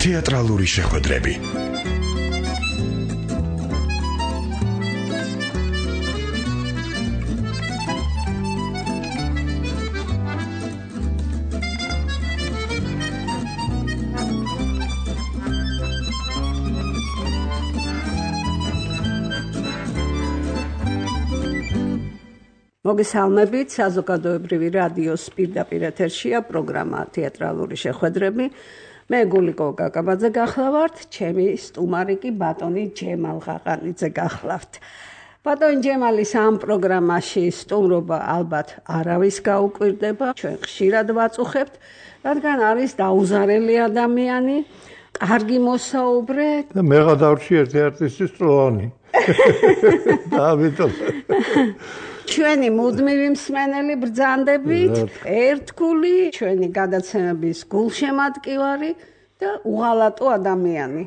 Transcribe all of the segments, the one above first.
თეატრალური შეხვედრები. მოგესალმებით, საზოგადოებრივი რადიოს პირდაპირ ეთერშია პროგრამა თეატრალური შეხვედრები. მე გულიკო კაკაბაძე გახლავართ, ჩემი სტუმარი კი ბატონი ჯემალ ღაღანიძე გახლავთ. ბატონი ჯემალის ამ პროგრამაში სტუმრობა ალბათ არავის გაუკვირდება, ჩვენ ხშირად ვაწუხებთ, რადგან არის დაუზარელი ადამიანი, კარგი მოსაუბრე. მე გადავრჩი ერთი არტისტის წლოვანი. ჩვენი მუდმივი მსმენელი ბრძანდებით, ერთგული, ჩვენი გადაცემების გულშემატკივარი და უღალატო ადამიანი.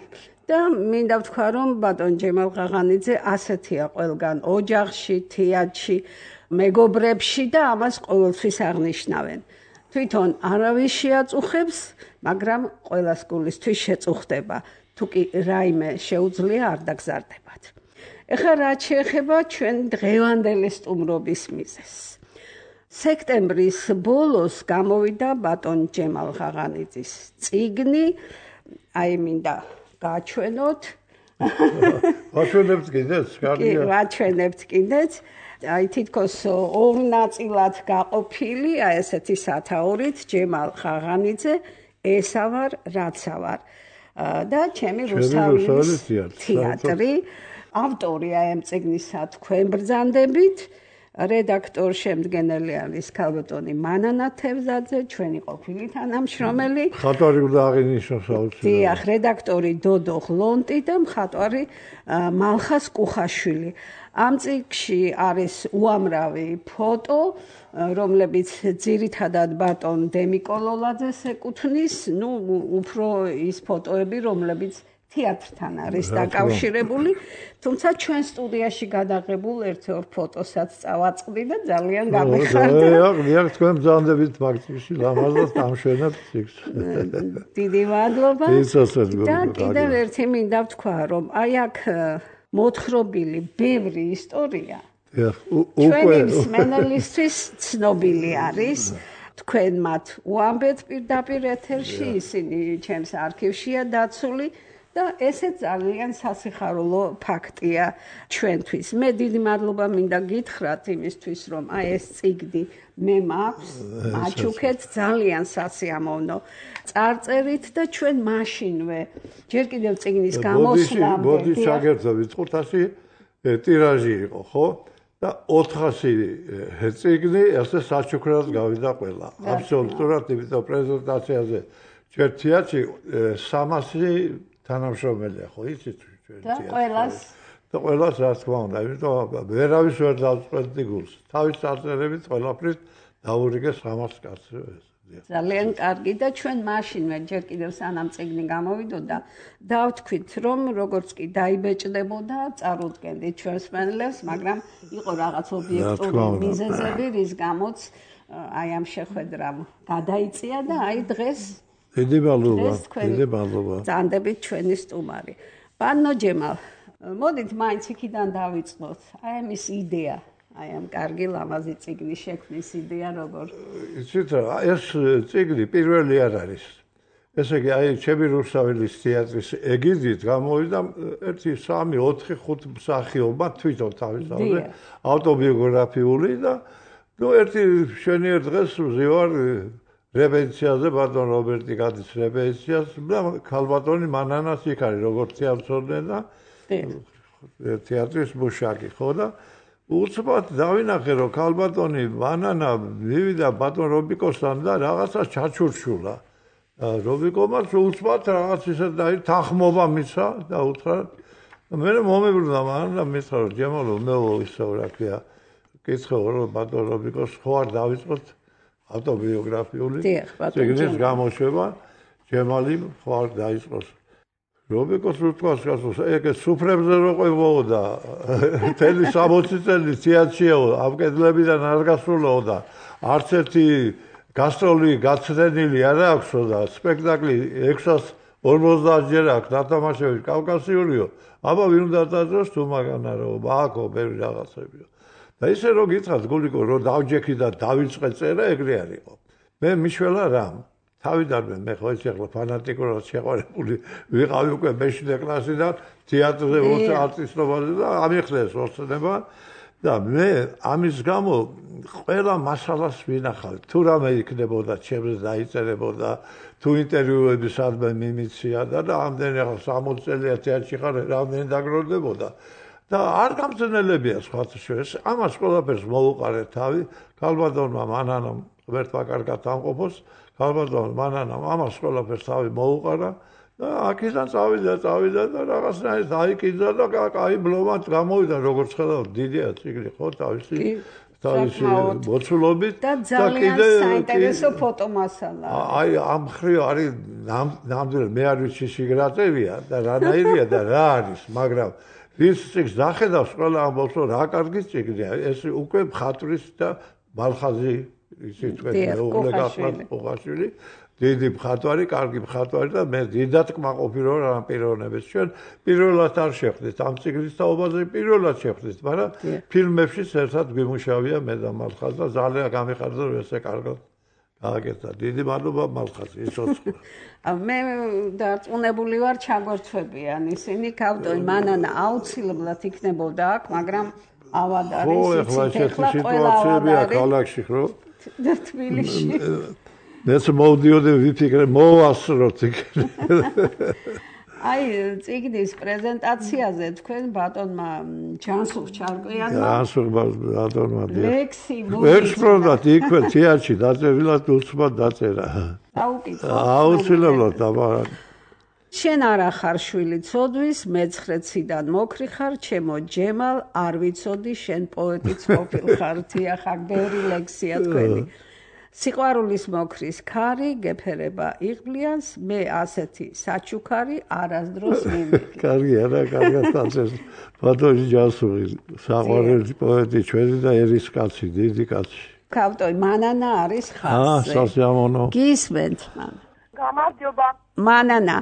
და მინდა ვთქვა, რომ ბატონ ჯემალ ღაღანიძე ასეთია ყველგან ოჯახში, თეატრში, მეგობრებში და ამას ყოველთვის აღნიშნავენ. თვითონ არავის შეაწუხებს, მაგრამ ყველას გულისთვის შეწუხდება. თუ კი რაიმე შეუძლია არ დაგზარდებათ. ეხლა რაც შეეხება ჩვენი დღევანდელი სტუმრობის მიზეზს. სექტემბრის ბოლოს გამოვიდა ბატონ ჯემალ ღაღანიძის წიგნი, აი მინდა გაჩვენოთ. ვაჩვენებთ კიდეც, კარგია. ვაჩვენებთ კიდეც. აი თითქოს ორ ნაწილად გაყოფილი, აი ესეთი სათაურით ჯემალ ღაღანიძე, ესა ვარ, რაცა ვარ. და ჩემი რუსთავის თეატრი. ავტორია ამ წიგნისა თქვენ ბრძანდებით, რედაქტორ შემდგენელი არის ქალბატონი მანანა თევზაძე, ჩვენი ყოფილი თანამშრომელი. მხატვარი უნდა აღინიშნოს აუცილებლად. დიახ, რედაქტორი დოდო ღლონტი და მხატვარი მალხას კუხაშვილი. ამ წიგნში არის უამრავი ფოტო, რომლებიც ძირითადად ბატონ დემიკო ლოლაძეს ეკუთვნის, ნუ უფრო ის ფოტოები, რომლებიც თეატრთან არის დაკავშირებული, თუმცა ჩვენ სტუდიაში გადაღებულ ერთ-ორ ფოტოსაც წავაწყდი და ძალიან გამეხარდა. დიახ, თქვენ ბრძანდებით მაგცში ლამაზად ამშვენებთ ციგს. დიდი მადლობა. და კიდევ ერთი მინდა ვთქვა, რომ აი აქ მოთხრობილი ბევრი ისტორია. ჩვენი მსმენელისთვის ცნობილი არის. თქვენ მათ უამბეთ პირდაპირ ეთერში, ისინი ჩემს არქივშია დაცული. და ესეც ძალიან სასიხარულო ფაქტია ჩვენთვის. მე დიდი მადლობა მინდა გითხრათ იმისთვის, რომ აი ეს წიგნი მე მაქვს, მაჩუქეთ ძალიან სასიამოვნო წარწერით და ჩვენ მაშინვე ჯერ კიდევ წიგნის გამოსვლამდე. ბოდი შაგერთო ვიწყურთაში ტირაჟი იყო, ხო? და 400 წიგნი ესე საჩუქრად გავიდა ყველა. აბსოლუტურად, იმიტომ პრეზენტაციაზე ჩვენ თეატრში 300 თანამშრომელია, ხო, იცით ჩვენ თეატრში. და ყველას რა თქმა უნდა, იმიტომ ვერავის ვერ დავწყვეტდი გულს. თავის წარწერებით ყველაფრის დაურიგეს 300 კაცს. ძალიან კარგი და ჩვენ მაშინვე ჯერ კიდევ სანამ წიგნი გამოვიდოდა, დავთქვით, რომ როგორც კი დაიბეჭდებოდა, წარუდგენდით ჩვენს მსმენელებს, მაგრამ იყო რაღაც ობიექტური მიზეზები, რის გამოც აი ამ შეხვედრამ გადაიწია და აი დღეს დიდი მადლობა. ბრძანდებით ჩვენი სტუმარი. ბანო ჯემალ, მოდით მაინც იქიდან დავიწყოთ. აი ამის იდეა, აი ამ კარგი ლამაზი წიგნის შექმნის იდეა როგორ? იცით რა, ეს წიგნი პირველი არ არის. ესე იგი, აი ჩემი რუსთავის თეატრის ეგიდით გამოვიდა 1 3 4 5 მსახიობა თვითონ თავისთავად ავტობიოგრაფიული და ნუ ერთი შვენიერ დღეს ვზივარ რეპეტიციაზე, ბატონ რობერტი გადის რეპეტიციას და ქალბატონი მანანას იქ არის როგორც თეატრონე და თეატრის მუშაკი, ხო და უცბად დავინახე რომ ქალბატონი მანანა მივიდა ბატონ რობიკოსთან და რაღაცა ჩაჩურჩულა. რობიკომაც უცბად რაღაც ისე თანხმობა მისცა და უთხრა მე მომებრუნა მანანა მისცა რომ ჯემალო მე ისე რა ქვია კითხე რომ ბატონ რობიკოს ხო არ დავიწყოთ ავტობიოგრაფიული წიგნის გამოშვება ჯემალი ხო არ დაიწყოს რობიკოს უთქვას გასულს, ეგ სუფრებზე რო ყვებოდა, თელი 60 წელი თეატრშიაო, ამ კედლებიდან არ გასულაო და არც ერთი გასტროლი გაცდენილი არ აქვსო და სპექტაკლი 650 ჯერ აქვს დათამაშებული კავკასიურიო, აბა ვინ უნდა დაძროს თუ მაგანარო, ბააკო, ბევრი რაღაცებიო. და ისე რო გითხრათ გულიკო, რო დავჯექი და დავიწყე წერა, ეგრე არ იყო. მე მიშველა რამ თავიდანვე მე ხო ეს ახლა ფანატიკურად შეყვარებული ვიყავი უკვე მე-7 კლასიდან თეატრზე არტისტობაზე და ამიხდეს ოცნება და მე ამის გამო ყველა მასალას ვინახავ. თუ რამე იქნებოდა ჩემს დაიწერებოდა, თუ ინტერვიუები სადმე მიმიცია და ამდენი ახლა 60 წელია თეატრში ხარ, რამდენი დაგროვდებოდა. და არ გამძნელებია სხვათა შორის. ამას ყველაფერს მოუყარე თავი ქალბატონმა მანანამ ღმერთმა კარგად ამყოფოს. ქალბატონმა მანანამ ამას ყველაფერს თავი მოუყარა და აქედან წავიდა და რაღაცნაირად დაიკიძა და კაი ბლომად გამოვიდა როგორც ხედავთ დიდია ციგნი ხო თავისი მოცულობით და ძალიან საინტერესო ფოტომასალა. აი ამ ხრივ არის ნამდვილად მე არ ვიცი სიგრატევია და რანაირია და რა არის, მაგრამ ვის წიგნს დახედავს ყველა ამბობს რომ რა კარგი წიგნია, ეს უკვე მხატვრის და მალხაზი ისე თქვენ მეუღლე გახლავთ პოღაშვილი დიდი მხატვარი, კარგი მხატვარი და მე დიდად კმაყოფილი ვარ ამ პიროვნებას. ჩვენ პირველად არ შეხვდით ამ წიგნის თაობაზე, პირველად შეხვდით, მაგრამ ფილმებშიც ერთად გვიმუშავია მე და მალხაზ და ძალიან გამიხარდა რომ ესე კარგად გააკეთა. დიდი მადლობა მალხაზ, იცოცხლე. მე დარწმუნებული ვარ ჩაგვერთვებიან ისინი ქავტოი მანანა აუცილებლად იქნებოდა აქ, მაგრამ ავად არის იცით ახლა ყველა სიტუაციებია ქალაქში ხო? და თბილისში. მეც მოვდიოდი ვიფიქრე მოვასწროთ იქ. აი წიგნის პრეზენტაციაზე თქვენ ბატონმა ჯანსუღ ჩარკვიანმა ბატონმა ლექსი ექსპროდათ იქვე თეატრში დაწერილად უცბად დაწერა. აუცილებლად აბა შენ არა ხარ შვილი ცოდვის, მეცხრეციდან მოკრი ხარ, ჩემო ჯემალ, არ ვიცოდი შენ პოეტიც ყოფილხარ, დიახ, აქ ბევრი ლექსია თქვენი. სიყვარულის მოკრის ქარი, გეფერება იღბლიანს, მე ასეთი საჩუქარი, არასდროს მიმიღი. კარგი არა, კარგად დაწერს. ბატონი ჯანსუღი, საყვარელი პოეტი ჩვენი და ერის კაცი, დიდი კაცი. ქავტოი მანანა არის ხაზზე. სასიამოვნო. გისმენთ მან. გამარჯობა. მანანა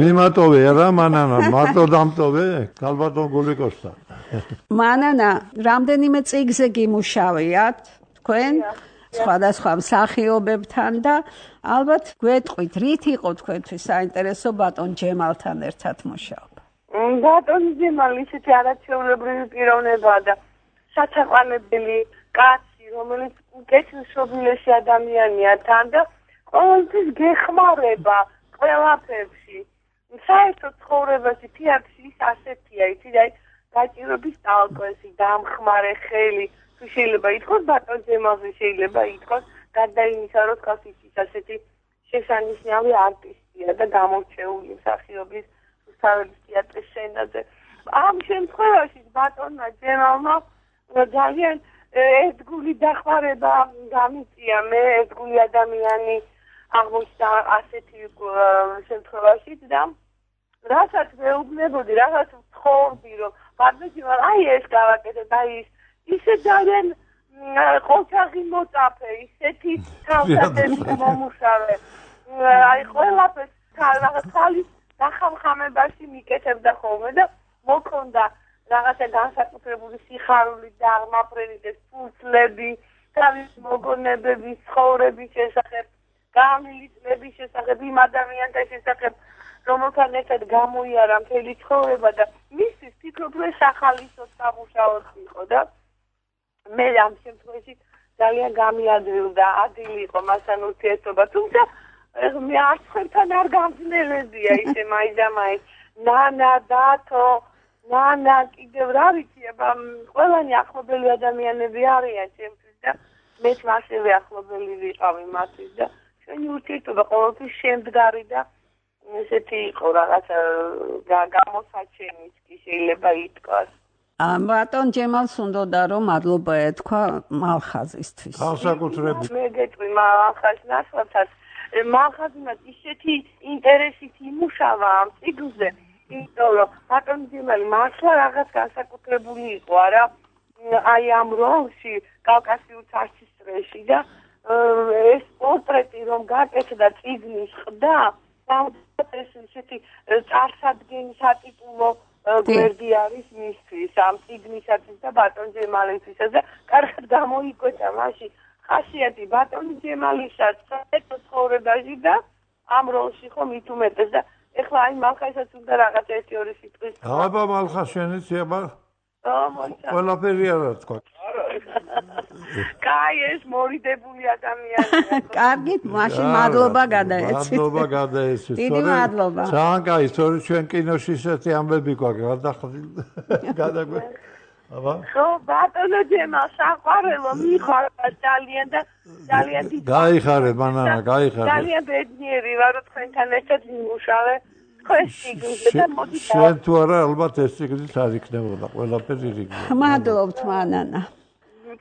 მიმატოვე რა მანანა მარტო დამტოვე ქალბატონ გულიკოსთან მანანა რამდენიმე წიგნზე გიმუშავიათ თქვენ სხვადასხვა მსახიობებთან და ალბათ გვეტყვით რით იყო თქვენთვის საინტერესო ბატონ ჯემალთან ერთად მუშაობა. ბატონ ჯემალი ისეთი არაჩვეულებრივი პიროვნებაა და სათაყვანებელი კაცი, რომელიც კეთილშობილესი ადამიანია თან და ყოველთვის გეხმარება ყველაფერში. საერთოდ ცხოვრებაში თეატრში ის ასეთია, იცით, აი გაჭირობის ტალკოესი, დამხმარე ხელი, თუ შეიძლება ითქვას ბატონ ჯემალზე შეიძლება ითქვას, გარდა იმისა, რომ თქვას ის ასეთი შესანიშნავი არტისტია და გამორჩეული მსახიობის რუსთაველის თეატრის სცენაზე. ამ შემთხვევაში ბატონმა ჯემალმა ძალიან ერთგული დახმარება გამიწია, მე ერთგული ადამიანი აღმოჩნდა ასეთი შემთხვევაში და რასაც მეუბნებოდი, რასაც ვთხოვდი, რომ ბატონო, აი ეს გავაკეთეთ, აი ისე ძალიან ყოჩაღი მოწაფე, ისეთი თავსატეხი მომუშავე, აი ყველაფერს ხალის დახამხამებაში მიკეთებდა ხოლმე და მოქონდა რაღაცა განსაკუთრებული სიხარული და აღმაფრენითეს ფულწლები, თავის მოგონებების, ცხოვრების შესახებ, გამილიწლების შესახებ, იმ ადამიანთა შესახებ, რომელთან ერთად გამოიარა მთელი ცხოვრება და მისთვის ფიქრობ, რომ სახალისოდ სამუშაოდ იყო და მე ამ შემთხვევაში ძალიან გამიადვილდა, ადილი იყო მასთან ურთიერთობა, თუმცა მე არც ხელთან არ გამძნელებია ისე მაინც ნანა, დათო, ნანა, კიდევ რა ვიცი, აბა ყველანი ახლობელი ადამიანები არიან ჩემთვის და მეც ასევე ახლობელი ვიყავი მათთვის და ჩვენი ურთიერთობა ყოველთვის შემდგარი და ესეთი იყო რაღაცა გამოსაჩენიც კი შეიძლება ითქვას. ბატონ ჯემალს უნდოდა რომ მადლობა ეთქვა მალხაზისთვის. განსაკუთრებით. მე გეტყვი მალხაზს ნაცვლად მალხაზინად ისეთი ინტერესით იმუშავა ამ წიგნზე, იმიტომ რომ ბატონი ძემალი მართლა რაღაც განსაკუთრებული იყო არა აი ამ როლში კავკასიურ ცარცის წრეში და ეს პორტრეტი რომ გაკეთდა წიგნის ხდა ეს ისეთი წარსადგენის ატიტულო გვერდი არის მისთვის ამ წიგნისათვის და ბატონ ჯემალისთვისაც და კარგად გამოიკვეთა მაშინ ხასიათი ბატონი ჯემალისაც საერთო ცხოვრებაში და ამ როლში ხომ მით უმეტეს და ეხლა აი მალხასაც უნდა რაღაც 1-2 სიტყვის აბა მალხაშენიც აბა ყველაფერი არა თქვა კაი ეს მორიდებული ადამიანია კარგით მაშინ მადლობა გადაეცით მადლობა გადაეცით დიდი მადლობა ძალიან კაი სწორედ ჩვენ კინოში ისეთი ამბები გვაქვს გადაგვე აბა ხო ბატონო ჯემალ საყვარელო მიხარ ძალიან და ძალიან დიდი გაიხარე მანანა გაიხარე ძალიან ბედნიერი ვარ რომ თქვენთან ერთად ვიმუშავე შენ თუ არა ალბათ ეს ციგნიც არ იქნებოდა ყველაფერი რიგია მადლობთ მანანა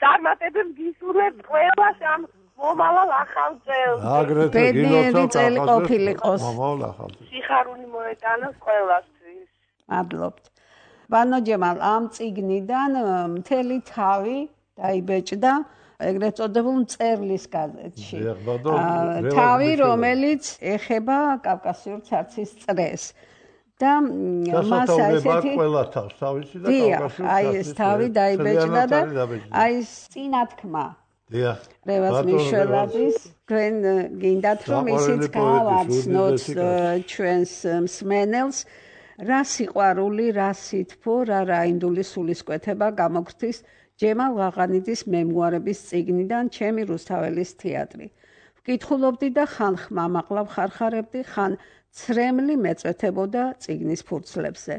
წარმატებებს გისურვებთ ყველას ამ მომავალ ახალ წელს აგრეთვე ბედნიერი წელი ყოფილიყოს მომავალ ახალ წელს სიხარული მოეტანოს ყველასთვის მადლობთ ბანო ჯემალ ამ წიგნიდან მთელი თავი დაიბეჭდა ეგრეთ წოდებულ მწერლის გაზეთში თავი რომელიც ეხება კავკასიურ ცარცის წრეს და მას ასეთი ყველა თავს თავისი და კავკასიურ აი ეს თავი დაიბეჭდა და აი წინათქმა დიახ რევაზ მიშველაძის თქვენ გინდათ რომ ისიც გავაცნოთ ჩვენს მსმენელს რა სიყვარული რა სითბო რა რაინდული სულისკვეთება გამოგრთის ჯემალ ღაღანიძის მემუარების წიგნიდან ჩემი რუსთაველის თეატრი. ვკითხულობდი და ხან ხმამაღლა ვხარხარებდი, ხან ცრემლი მეწვეთებოდა წიგნის ფურცლებზე.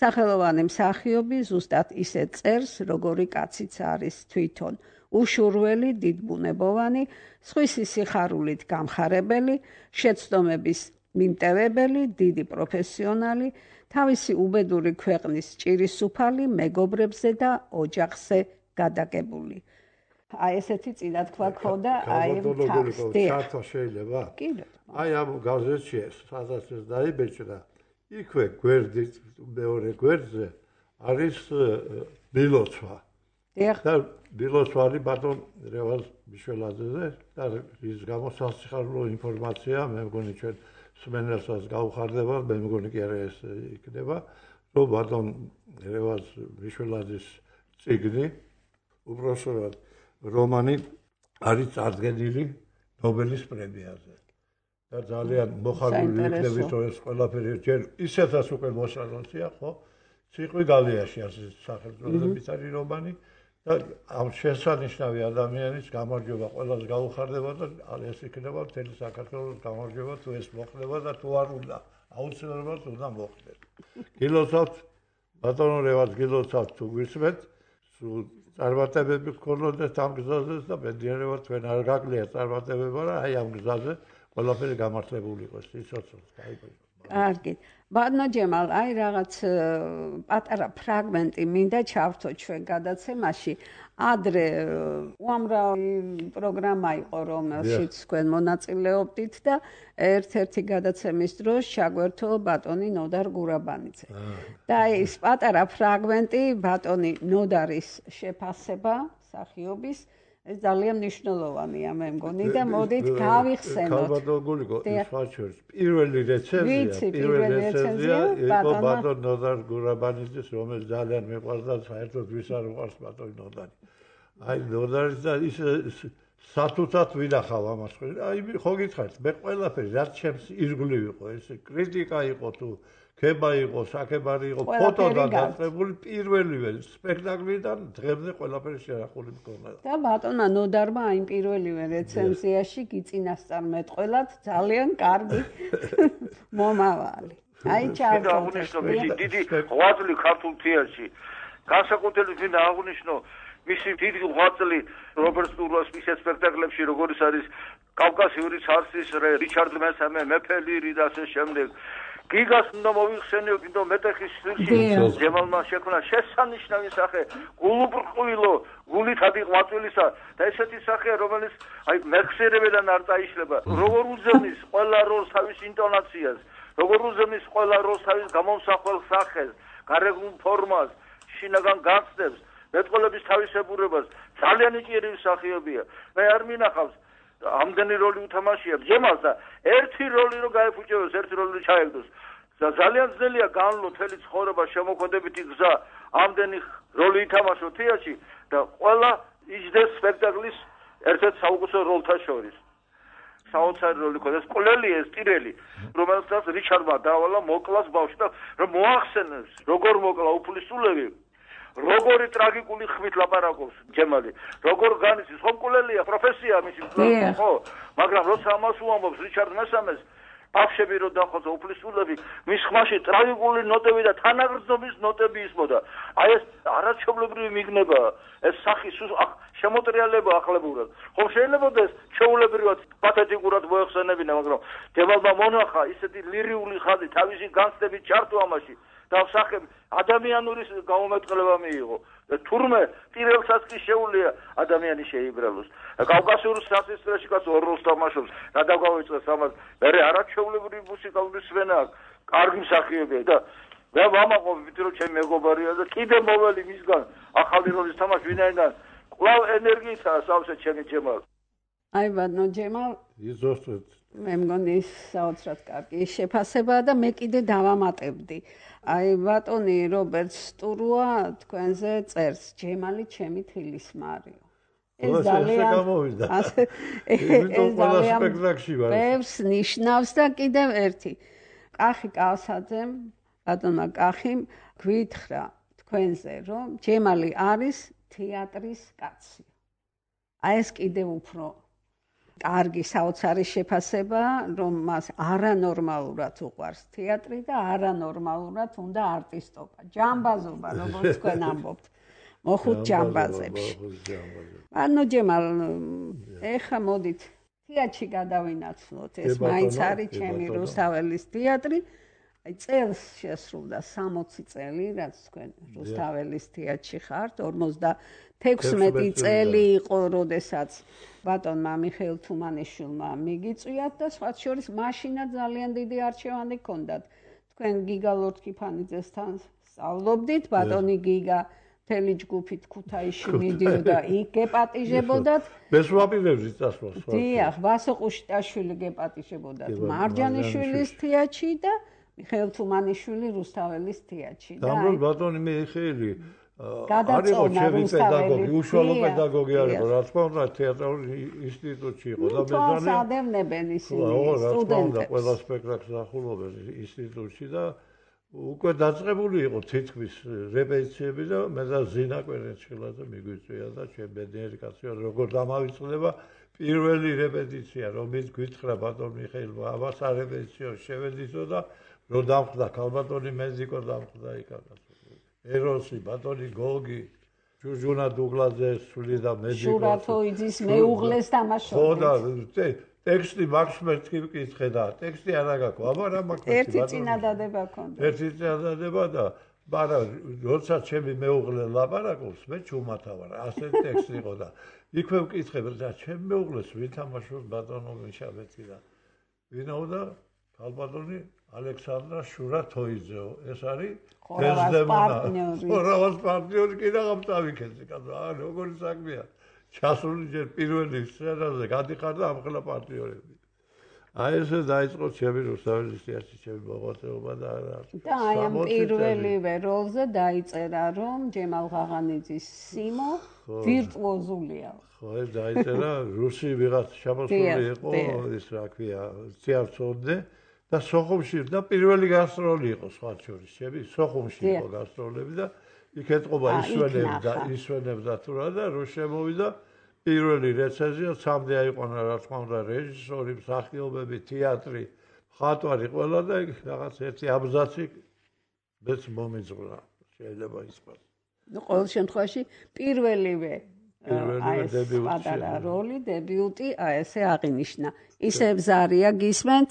სახელოვანი მსახიობი ზუსტად ისე წერს, როგორი კაციც არის თვითონ. უშურველი, დიდბუნებოვანი, სხვისი სიხარულით გამხარებელი, შეცდომების მიმტევებელი, დიდი პროფესიონალი, თავისი უბედური ქვეყნის ჭირისუფალი, მეგობრებზე და ოჯახზე გადაგებული. აი ესეთი წინათქმა ქონდა აი თავს. ჩართვა შეიძლება? კიდე. აი ამ გაზეთში სადაც ეს დაიბეჭდა, იქვე გვერდით მეორე გვერდზე არის ბილოცვა. და ბილოცვარი ბატონ რევაზ მიშველაძეზე და ის გამოსასიხარულო ინფორმაცია მე მგონი ჩვენ სმენელსაც გაუხარდება, მე მგონი კი არა ეს იქნება, რომ ბატონ რევაზ მიშველაძის წიგნი, უბრალოდ რომანი არის წარდგენილი ნობელის პრემიაზე. და ძალიან მოხარული იქნებით, რომ ეს ყველაფერი ჯერ ისეთაც უკვე მოსალოცია, ხო? ციყვი გალიაში არის სახელმწიფოების არის რომანი და ამ შესანიშნავი ადამიანის გამარჯვება ყველას გაუხარდება და ეს იქნება მთელი საქართველოს გამარჯვება თუ ეს მოხდება და თუ არ უნდა აუცილებლად უნდა მოხდეს. გილოცავთ ბატონო რევაზ გილოცავთ თუ გვისმენთ სულ წარმატებები გქონოდეთ ამ გზაზე და ბედნიერება თქვენ არ გაკლია წარმატებება რა აი ამ გზაზე ყველაფერი გამართლებული იყოს სიცოცხლეს გაიგო. კარგი. ბატონო ჯემალ, აი რაღაც პატარა ფრაგმენტი მინდა ჩავთო ჩვენ გადაცემაში. ადრე უამრავი პროგრამა იყო, რომელშიც თქვენ მონაწილეობდით და ერთ-ერთი გადაცემის დროს ჩაგვერთო ბატონი ნოდარ გურაბანიძე. და ეს პატარა ფრაგმენტი ბატონი ნოდარის შეფასება მსახიობის ეს ძალიან მნიშვნელოვანია მე მგონი და მოდით გავიხსენოთ. ქალბატონგულიკო ის ფაჩერს პირველი რეცენზია იყო ბატონ ნოდარ გურაბანიძის რომელიც ძალიან მიყვარს და საერთოდ ვის არ უყვარს ბატონი ნოდარი. აი ნოდარის და ის სათუთად ვინახავ ამას. აი ხო გითხარით მე ყველაფერი რაც ჩემს ირგვლივ იყო ეს კრიტიკა იყო თუ ქება იყო, საკებარი იყო, ფოტოდან დაწყებული პირველივე სპექტაკლიდან დღემდე ყველაფერი შეარახული მქონდა. და ბატონმა ნოდარმა აი პირველივე რეცენზიაში გიწინასწარმეტყველად ძალიან კარგი მომავალი. აი ჩავთვალე დიდი ღვაწლი ქართულ თეატრში. განსაკუთრებით მინდა აღვნიშნო მისი დიდი ღვაწლი რობერტ სტუროს მის სპექტაკლებში, როგორიც არის კავკასიური ცარცის რე, რიჩარდ მესამე, მეფე ლირი და ასე შემდეგ. გიგას უნდა მოიხსენიო კიდო მეტეხის სტილში ჯემალმა შექმნა შესანიშნავი სახე გულუბრყვილო გულით ადიყვაწვილისა და ესეთი სახეა რომელიც აი მეხსიერებიდან არ წაიშლება როგორ უძღვნის ყველა როლს თავის ინტონაციას როგორ უძღვნის ყველა როლს თავის გამომსახველ სახეს გარეგნულ ფორმას შინაგან გაცდებს მეტყოლების თავისებურებას ძალიან იჭიერი მსახიობია მე არ მინახავს ამდენი როლი უთამაშია ჯემალს და ერთი როლი რო გაეფუჭებოს ერთი როლი რო ჩაეგდოს ძალიან ძნელია განვლო თელი ცხოვრება შემოქმედებითი გზა ამდენი როლი ითამაშო თეატრში და ყველა იჯდეს სპექტაკლის ერთ-ერთ საუკეთესო როლთა შორის საოცარი როლი ქონდეს ყოლელი ეს ტირელი რომელსაც რიჩარდმა დაავალა მოკლას ბავშვი და რომ მოახსენებს როგორ მოკლა უფლისწულები როგორი ტრაგიკული ხმით ლაპარაკობს ჯემალი როგორ განიცდის ხომ ყოლელია პროფესია მისი ხო მაგრამ როცა ამას უამბობს რიჩარდ მესამეს ბავშვები რო დახოცა უფლისწულები მის ხმაში ტრაგიკული ნოტები და თანაგრძნობის ნოტები ისმოდა აი ეს არაჩვეულებრივი მიგნება ეს სახი შემოტრიალება ახლებურად ხომ შეიძლება ეს ჩეულებრივად პათეტიკურად მოეხსენებინა მაგრამ ჯემალმა მონახა ისეთი ლირიული ხაზი თავისი განცდებით ჩართო ამაში და სახე ადამიანური გამომეტყლება მიიღო თურმე ტირელსაც კი შეუძლია ადამიანი შეიბრალოს კავკასიურ სასწრაფოში კაც ორ როლს თამაშობს რა დაგვავიწყოს ამას მე არაჩვეულებრივი მუსიკალური სვენა კარგი მსახიობია და მე ვამაყობ ვით რომ ჩემი მეგობარია და კიდე მოველი მისგან ახალი როლის თამაში ვინაიდან კვლავ ენერგიითაა სავსე ჩემი ჯემალ აი ბატონო ჯემალ იზოსტეთ მე მგონი საოცრად კარგი შეფასებაა და მე კიდე დავამატებდი აი ბატონი რობერტ სტურუა თქვენზე წერს ჯემალი ჩემი თილისმარიო ეს ძალიან ბევრს ნიშნავს და კიდევ ერთი კახი კავსაძემ ბატონმა კახიმ გვითხრა თქვენზე რომ ჯემალი არის თეატრის კაცი აი ეს კიდევ უფრო კარგი საოცარი შეფასება რომ მას არანორმალურად უყვარს თეატრი და არანორმალურად უნდა არტისტობა ჯამბაზობა როგორც თქვენ ამბობთ მოხუთ ჯამბაზებში ანუ ჯემალ ეხა მოდით თეატრში გადავინაცვლოთ ეს მაინც არის ჩემი რუსთაველის თეატრი აი წელს შესრულდა 60 წელი რაც თქვენ რუსთაველის თეატრში ხართ 56 წელი იყო როდესაც ბატონმა მიხეილ თუმანიშვილმა მიგიწვიათ და სხვა შორის მაშინაც ძალიან დიდი არჩევანი ჰქონდათ თქვენ გიგა ლორთქიფანიძესთან სწავლობდით ბატონი გიგა მთელი ჯგუფით ქუთაისში მიდიოდა იქ გეპატიჟებოდათ ეს ვაპირებდი წასვლას დიახ ვასო ყუშტაშვილი გეპატიჟებოდათ მარჯანიშვილის თეატრში და მიხეილ თუმანიშვილი რუსთაველის თეატრში და ბატონი მიხეილი არისო ჩემი პედაგოგი, უშუალო პედაგოგი არისო, რა თქმა უნდა, თეატრალური ინსტიტუტში იყო და მეზანე ადევნებენ ისინი სტუდენტებს. ყველა სპექტაკლს ახულობენ ინსტიტუტში და უკვე დაწყებული იყო თითქმის რეპეტიციები და მე და ზინა კვერენჩხილაძე მიგვიწვია და ჩემ ბედნიერი კაცია როგორ დამავიწყდება პირველი რეპეტიცია, რომელიც გვითხრა ბატონ მიხეილმა, ამას არეპეტიციო შევედითო და რომ დამხდა ქალბატონი მეზიკო დამხდა იქაც. ეროსი, ბატონი გოგი, ჯურჯუნა დუგლაძე სული და მედიკო. შურათოიძის მეუღლეს თამაშობდნენ. ხო და ტექსტი მაქსმერტს კი ვკითხე და ტექსტი არ აგაკო, აბა რა მაქვს ბატონი. ერთი წინადადება ქონდა. ერთი წინადადება და მაგრამ როცა ჩემი მეუღლე ლაპარაკობს, მე ჩუმათავარ, ასე ტექსტი იყო და იქვე ვკითხებ და ჩემი მეუღლეს ვითამაშოს ბატონო მიშაბეთი და ვინაო და ქალბატონი ალექსანდრა შურათოიძეო, ეს არის ხორავას პარტნიორი კი რაღაცავიქეცი კაცო, როგორი საქმეა. ჩასული ჯერ პირველი სცენაზე გადიხარ და ამხელა პარტნიორები. აი ესე დაიწყო ჩემი რუსთაველის თეატრის ჩემი მოღვაწეობა და აი ამ პირველივე როლზე დაიწერა რომ ჯემალ ღაღანიძის სიმო ვირტუოზულია. ხო, ეს დაიწერა რუსი ვიღაც შემოსული იყო, ის რა ქვია, ციარცოდე და სოხუმში და prvელი გასტროლი იყო სხვა შორის, ჩემი სოხუმში იყო გასტროლები და იქ ეთყობა ისვენებდა თუ რა და რო შემოვიდა პირველი რეცენზია სამდე აიყვანა რა თქმა უნდა რეჟისორი, მსახიობები, თეატრი, მხატვარი ყველა და რაღაც ერთი აბზაცი მეც მომიძღვრა შეიძლება ისყოს. ნუ ყოველ შემთხვევაში პირველივე პატარა როლი, დებიუტი, აი ესე აღინიშნა. ისე ბზარია გისმენთ?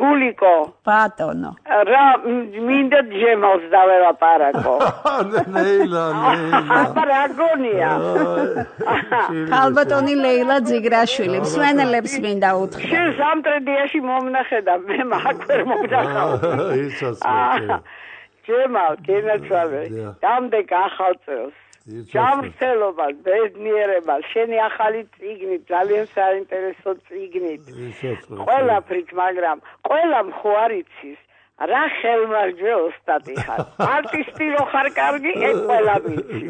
გულიკო ბატონო რა მინდა ჯემალს დაველაპარაკო ლეილა აბა რა გონია ქალბატონი ლეილა ძიგრაშვილი მსმენელებს მინდა უთხრა შენ სამტრედიაში მომნახე და მე მაგ ვერ მომდახავ იცას ჯემალ კენაცვალე დამდეგ ახალ წელს ჯამრთელობას ბედნიერებას შენი ახალი წიგნი ძალიან საინტერესო წიგნი ყველაფრით მაგრამ ყველამ ხო არ იცის რა ხელმარჯვე ოსტატი ხარ არტისტი რო ხარ კარგი ეგ ყველა ვიცი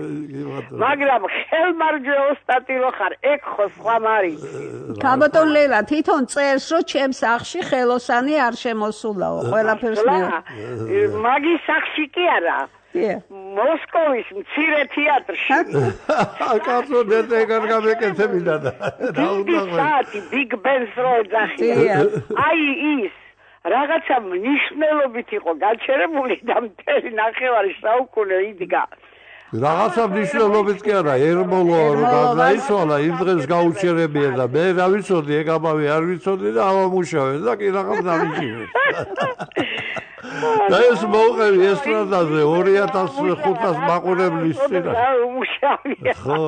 მაგრამ ხელმარჯვე ოსტატი რო ხარ ეგ ხო სხვა მარიცი ქალბატონ ლეილა თვითონ წერს რომ ჩემს სახლში ხელოსანი არ შემოსულაო ყველაფერს მე მაგის სახლში კი არა მოსკოვის მცირე თეატრში კაცო დეტეგარ გამეკეთებინა და საათი ბიგ ბენს რო ეძახია აი ის რაღაცა მნიშვნელობით იყო გაჩერებული და მთელი ნახევარი საუკუნე იდგა რაღაცა მნიშვნელობით კი არა ერმოლო გადაისვალა იმ დღეს გაუჩერებია და მე რა ვიცოდი ეგ ამავე არ ვიცოდი და ამამუშავე და კი რაღაც დამიჭირე და ეს მოყევი ესტრადაზე 2500 მაყურებლის წინ ხო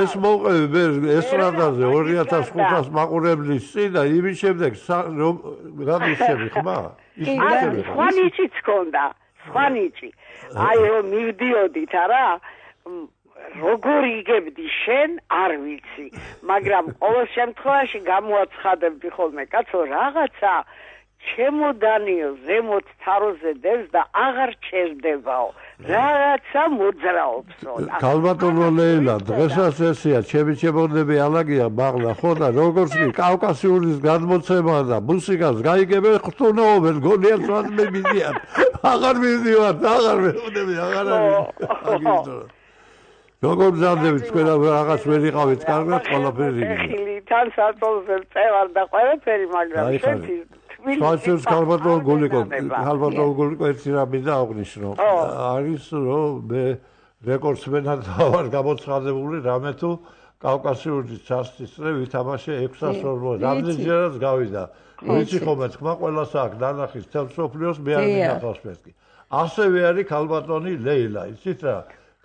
ეს მოყევი მე ესტრადაზე 2500 მაყურებლის წინ და იმის შემდეგ გამიშები ხმა სხვანიჭიც ქონდა სხვანიჭი აი რომ მივდიოდით არა როგორ იგებდი შენ არ ვიცი მაგრამ ყოველ შემთხვევაში გამოაცხადებდი ხოლმე კაცო რაღაცა ჩემოდანიო ზემოთ თაროზე დევს და აღარ ჩერდებაო რაღაცა მოძრაობსო ქალბატონო ლეილა დღესაც ესეა ჩემი ჩემოდები ალაგია მაღლა ხო და როგორც კი კავკასიურის გადმოცემა და მუსიკას გაიგებენ ხტუნაობენ გონიათ რაც მე მიდიან აღარ მივდივართ აღარ მეუნები აღარ არის როგორ მზადდებით თქვენ რაღაც ვერ იყავით კარგად ყველაფერი ხილი თან საწოლზე წევარ და ყველაფერი მაგრამ შენი სპასიოს ქალბატონ გულიკო ერთი რამე და აღნიშნო არის რომ მე რეკორდსმენად ვარ გამოცხადებული რამე თუ კავკასიური ცარცის წრე ვითამაშე 640 რამდენჯერაც გავიდა ვიცი ხოლმე თქმა ყველას აქვს დანახის თელ სოფლიოს მე არ მინახავს მეთქი ასევე არის ქალბატონი ლეილა იცით რა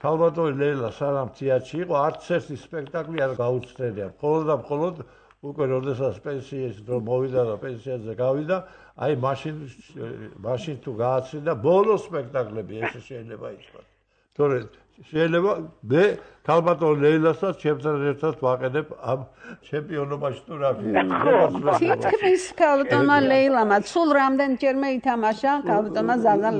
ქალბატონი ლეილა სანამ თეატრში იყო არც ერთი სპექტაკლი არ გაუცდენია მხოლოდ და მხოლოდ უკვე როდესაც პენსიის დრო მოვიდა და პენსიაზე გავიდა აი მაშინ თუ გააცრიდა ბოლო სპექტაკლები ეს შეიძლება ითქვას თორე შეიძლება მე ქალბატონ ლეილასაც ჩემთან ერთად ვაყენებ ამ ჩემპიონობაში თუ რა თითქმის ქალბატონმა ლეილამაც სულ რამდენჯერმე ითამაშა ქალბატონმა ზაზა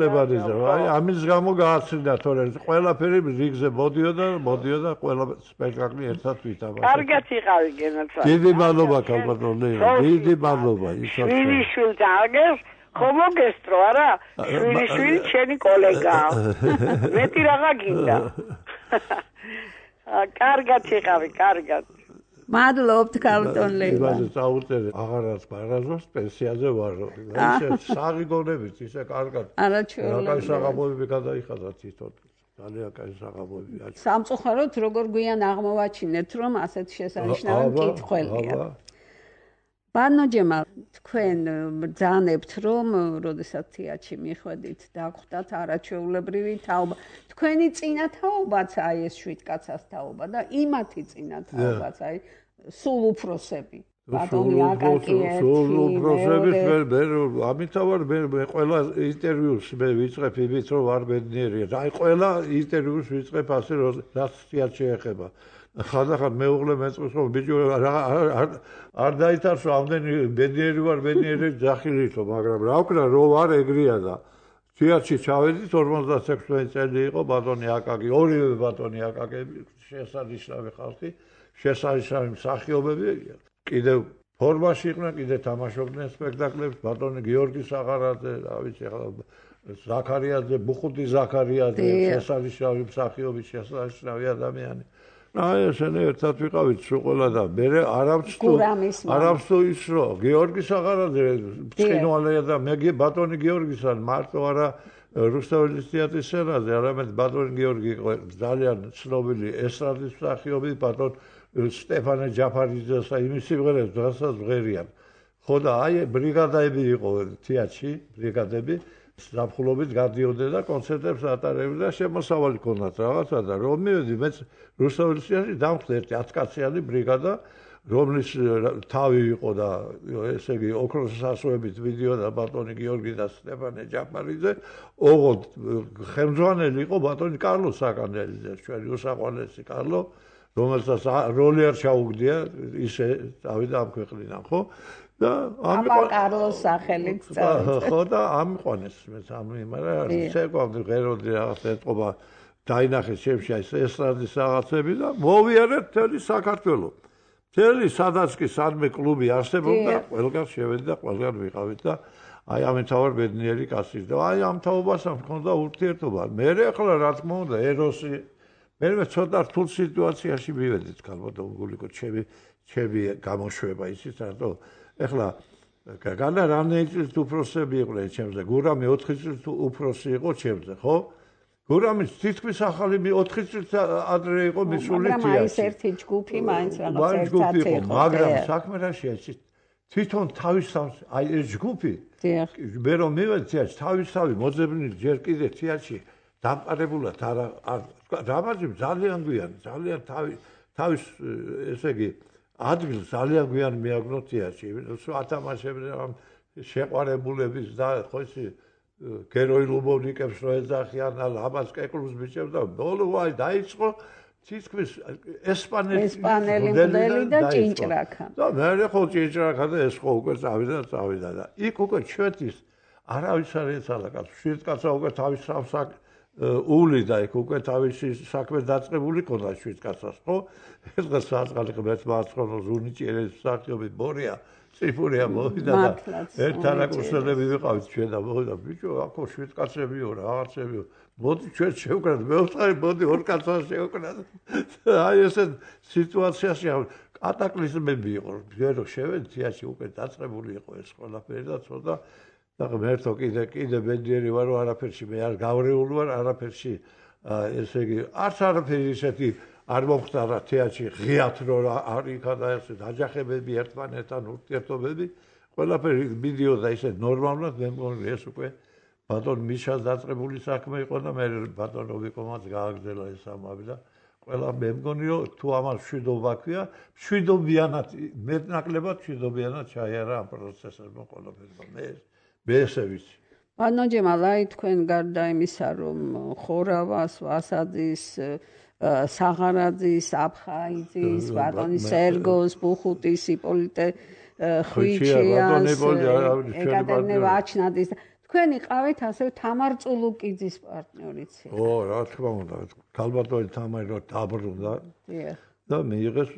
ლებანიძე აი ამის გამო გააცრიდა თორე ყველაფერი რიგზე მოდიოდა ყველა სპექტაკლი ერთად ვითამაშა კარგად იყავი გენაცვალე დიდი მადლობა ქალბატონ ლეილა დიდი მადლობა შვილიშვილს აგერ ხომოგესტრო არა შვილიშვილი შენი კოლეგაა მეტი რაღა გინდა კარგად იყავი კარგად მადლობთ ქალბატონ ლეილა იმაზე წაუწერე აღარაც პარაზოს პენსიაზე ვარო ისე საღი გონებით ისე კარგად არაჩვეულებრივი კაი საღამოები გადაიხადა თვითონ ძალიან კაი საღამოები სამწუხაროდ როგორ გვიან აღმოვაჩინეთ რომ ასეთ შესანიშნავი მკითხველია ბანო ჯემალ თქვენ ბრძანებთ რომ როდესაც თეატრში მიხვედით დაგხვდათ არაჩვეულებრივი თაობა თქვენი წინა თაობაც აი ეს შვიდკაცას თაობა და იმათი წინა თაობაც აი სულ უფროსები ბატონი აკაკიეთი სულ უფროსები მე ამითა ვარ მე ყველა ინტერვიუს მე ვიწყებ იმით რომ არ ბედნიერია აი ყველა ინტერვიუს ვიწყებ ასე რაც თეატრში ეხება ხანდახან მეუღლე მეწყვის რომ ბიჭო არ დაითარს რომ ამდენი ბედნიერი ვარ ბედნიერი ძახილითო მაგრამ რა ვქნა რო ვარ ეგრეა და თეატრში ჩავედით 56 წელი იყო ბატონი აკაკი ორივე ბატონი აკაკები შესანიშნავი ხალხი შესანიშნავი მსახიობები კიდევ ფორმაში იყვნენ კიდე თამაშობდნენ სპექტაკლებს ბატონი გიორგი საღარაძე რა ვიცი ახლა ზაქარიაძე ბუხუტი ზაქარიაძე შესანიშნავი მსახიობი შესანიშნავი ადამიანი აი ესენი ერთად ვიყავით სულ ყველა და მე არავს თუ ის რომ გიორგი საღარაძე ბრწყინვალეა და მე ბატონი გიორგისთან მარტო არა რუსთაველის თეატრის სცენაზე არამედ ბატონი გიორგი იყო ძალიან ცნობილი ესტრადის მსახიობი ბატონ სტეფანე ჯაფარიძეს და იმის სიმღერებს დღესაც ვღერიან ხო და აი ბრიგადები იყო თეატრში, ბრიგადები ზაფხულობით გადიოდნენ და კონცერტებს ატარებდნენ და შემოსავალი ქონდათ რაღაცა და რომ მივედი მეც რუსთაველში დამხვდა ერთი 10 კაციანი ბრიგადა რომლის თავი იყო და ესე იგი ოქროს სასოებით ვიდეოდა ბატონი გიორგი და სტეფანე ჯაფარიძე, ოღონდ ხელმძღვანელი იყო ბატონი კარლო საკანელიძე, ჩვენი უსაყვარლესი კარლო, რომელსაც როლი არ ჩაუგდია, ისე წავიდა ამ ქვეყნიდან, ხო? და ამან კარლოს სახელით წავიდა. ხო და ამიყვანეს მეც მაგრამ შეგვამდე ღეროდი რაღაც ეთყობა დაინახეს ჩემში ეს ესტრადის რაღაცები და მოვიარეთ მთელი საქართველოს. მთელი სადაც კი სადმე კლუბი არსებობდა, ყველგან შევედი და ყველგან ვიყავით და აი ამთავარ ბედნიერი კაცი და აი ამ თაობასთან მქონდა ურთიერთობა. მე ახლა რა თქმა უნდა ეროსი მე ცოტა რთულ სიტუაციაში მივედით ქალბატონ გულიკო ჩემი გამოშვება ისიც რატო ახლა განა რამდენი წლის უფროსები იყვნენ ჩემზე გურამი 4 წლის უფროსი იყო ჩემზე ხო გურამი თითქმის ახალი 4 წლის ადრე იყო მისული თეატრში მაგრამ ის ერთი ჯგუფი მაინც რაღაც ერთად იყო მაგრამ საქმე რა შეეცით თვითონ თავისთავად აი ეს ჯგუფი მე რომ მივედი თეატრში თავისთავად მოძებნილი ჯერ კიდე თეატრში დამყარებულად რამაზი ძალიან გვიან ძალიან თავის ესე იგი ადგილს ძალიან გვიან მიაგნო თეატრში ათამაშებდნენ შეყვარებულების და ხო ისი გეროი ლუბოვნიკებს რო ეძახიან ლამაზ კეკლუს ბიჭებს და ბოლო აი დაიწყო თითქმის ესპანელი მოდელი და ჭინჭრაკა და მე ხო ჭინჭრაკა და ეს ხო უკვე წავიდა და იქ უკვე ჩვეთის არავის არ ეცალა კაცს შვიდკაცა უკვე თავის სამსაკ ული და იქ უკვე თავისი საქმე დაწყებული ქონდა შვიდკაცას ხო ეს დღეს საწყალი ღმერთ მაცხონოს უნიჭიერეს მსახიობი ბორია ციფურია მოვიდა და ერთთან აკურსელები ვიყავით ჩვენ და მოვიდა ბიჭო აქო შვიდკაცებიო რაღაცებიო მოდი ჩვენ შევკრათ მე ვწყარი მოდი ორ კაცას შევკრათ აი ესე სიტუაციაში კატაკლიზმები იყო ჯერო შევედი თეატრში უკვე დაწყებული იყო ეს ყველაფერი და ცოტა და ღმერთო კიდე ბედნიერი ვარ რომ არაფერში მე არ გავრეული ვარ არაფერში ესე იგი არც არაფერი ისეთი არ მომხდარა თეატრში ღიათ რომ არ იქადა ესე დაჯახებები ერთმანეთთან ურთიერთობები ყველაფერი მიდიოდა ისე ნორმალურად მე მგონი ეს უკვე ბატონ მიშას დაწყებული საქმე იყო და მე ბატონ რობიკომაც გააგრძელა ეს ამბავი და ყველა მე მგონი რომ თუ ამას მშვიდობა ქვია მშვიდობიანად მეტნაკლებად მშვიდობიანად ჩაიარა ამ პროცესებმა ყველაფერმა მე ესე ვიცი ბატონ ჯემალაი თქვენ გარდა იმისა რომ ხორავას ვასაძის საღარაძის აფხაიძის ბატონი სერგოს ბუხუტის იპოლიტე ხვიჩიას ეკატერინე ვაჩნაძის თქვენ იყავით ასევე თამარ წულუკიძის პარტნიორიც ო რა თქმა უნდა ქალბატონი თამარი რო დაბრუნდა და მიიღეს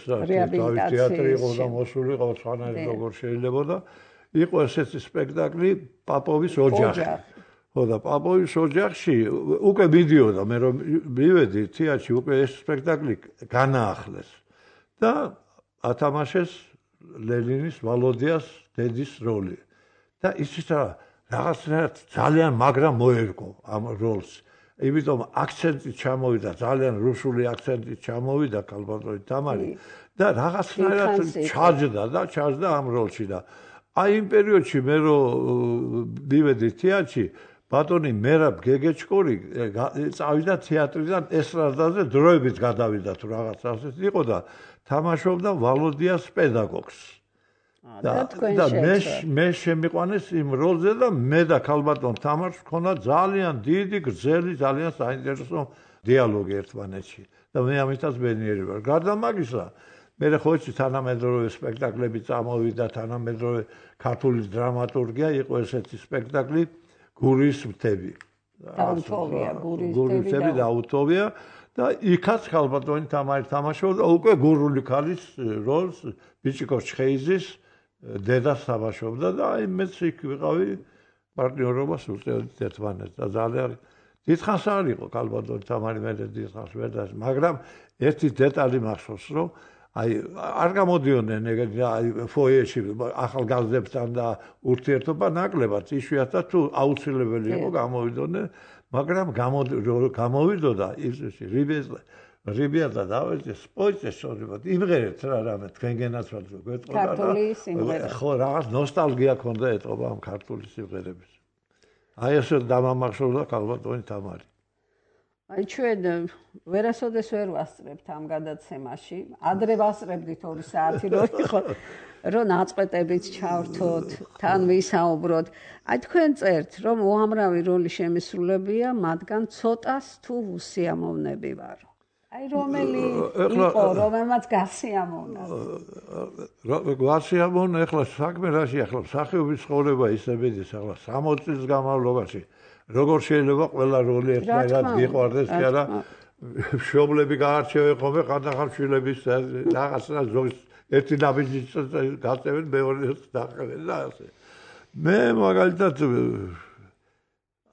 თავის თეატრი იყო და მოსული იყო სვანარი როგორ შეიძლება და იყო ესეთი სპექტაკლი პაპოვის ოჯახი ხო და პაპოვის ოჯახში უკვე მიდიოდა მე რომ მივედი თეატრში უკვე ეს სპექტაკლი განაახლეს და ათამაშეს ლენინის ვალოდიას დედის როლი და ისიც რაღაცნაირად ძალიან მაგრამ მოერგო ამ როლს იმიტომ აქცენტი ჩამოვიდა ძალიან რუსული აქცენტი ჩამოვიდა ქალბატონი თამარი და რაღაცნაირად ჩაჯდა ამ როლში და აი იმ პერიოდში მე რომ მივედი თეატრში ბატონი მერაბ გეგეჩკორი წავიდა თეატრიდან ესტრადაზე დროებით გადავიდა თუ რაღაც ასეთი იყო და თამაშობდა ვალოდიას პედაგოგს და მე შემიყვანეს იმ როლზე და მე და ქალბატონ თამარს მქონდა ძალიან დიდი გრძელი ძალიან საინტერესო დიალოგი ერთმანეთში და მე ამითაც ბედნიერი ვარ გარდა მაგისა მე ხო იცი თანამედროვე სპექტაკლები წამოვიდა თანამედროვე ქართული დრამატურგია იყო ესეთი სპექტაკლი გურის მთები გურის მთები და აუთოვია და იქაც ქალბატონი თამარი თამაშობდა უკვე გურული ქალის როლს ბიჭიკო ჩხეიზის დედას თამაშობდა და აი მეც იქ ვიყავი პარტნიორობას უწევდით ერთმანეთს და ძალიან დიდხანს არ იყო ქალბატონი თამარი მე დიდხანს ვერ და მაგრამ ერთი დეტალი მახსოვს რომ აი არ გამოდიოდნენ ეგეთი აი ფოიეში ახალგაზრდებთან და ურთიერთობა ნაკლებად იშვიათად თუ აუცილებელი იყო გამოვიდოდნენ მაგრამ გამოვიდოდა ის რიბიადა დავეძე სპოიცეს შორიბად იმღერეთ რა რამე თქვენგენაც ვარ გვეტყოდა ქართული სიმღერა ხო რაღაც ნოსტალგია ქონდა ეტყობა ამ ქართული სიმღერების აი ესე დამამახსოვრდა ქალბატონი თამარი აი ჩვენ ვერასოდეს ვერ ვასწრებთ ამ გადაცემაში ადრე ვასწრებდით 2 საათი რომ ნაწყვეტებით ჩავრთოთ თან ვისაუბროთ აი თქვენ წერთ რომ უამრავი როლი შემისრულებია მათგან ცოტას თუ უსიამოვნები ვარო აი რომელი იყო რომელმაც გასიამოვნა გასიამოვნა ახლა საქმე რაში ახლა მსახიობის ცხოვრება ისე მიდის ახლა 60 წლის განმავლობაში როგორ შეიძლება ყველა როლი ერთმანეთს გიყვარდეს კი არა მშობლები გაარჩევენ ხოლმე ხანდახან შვილების რაღაცა ზოგის ერთი ნაბიჯით გაწევენ მეორეს დაყევენ და ასე მე მაგალითად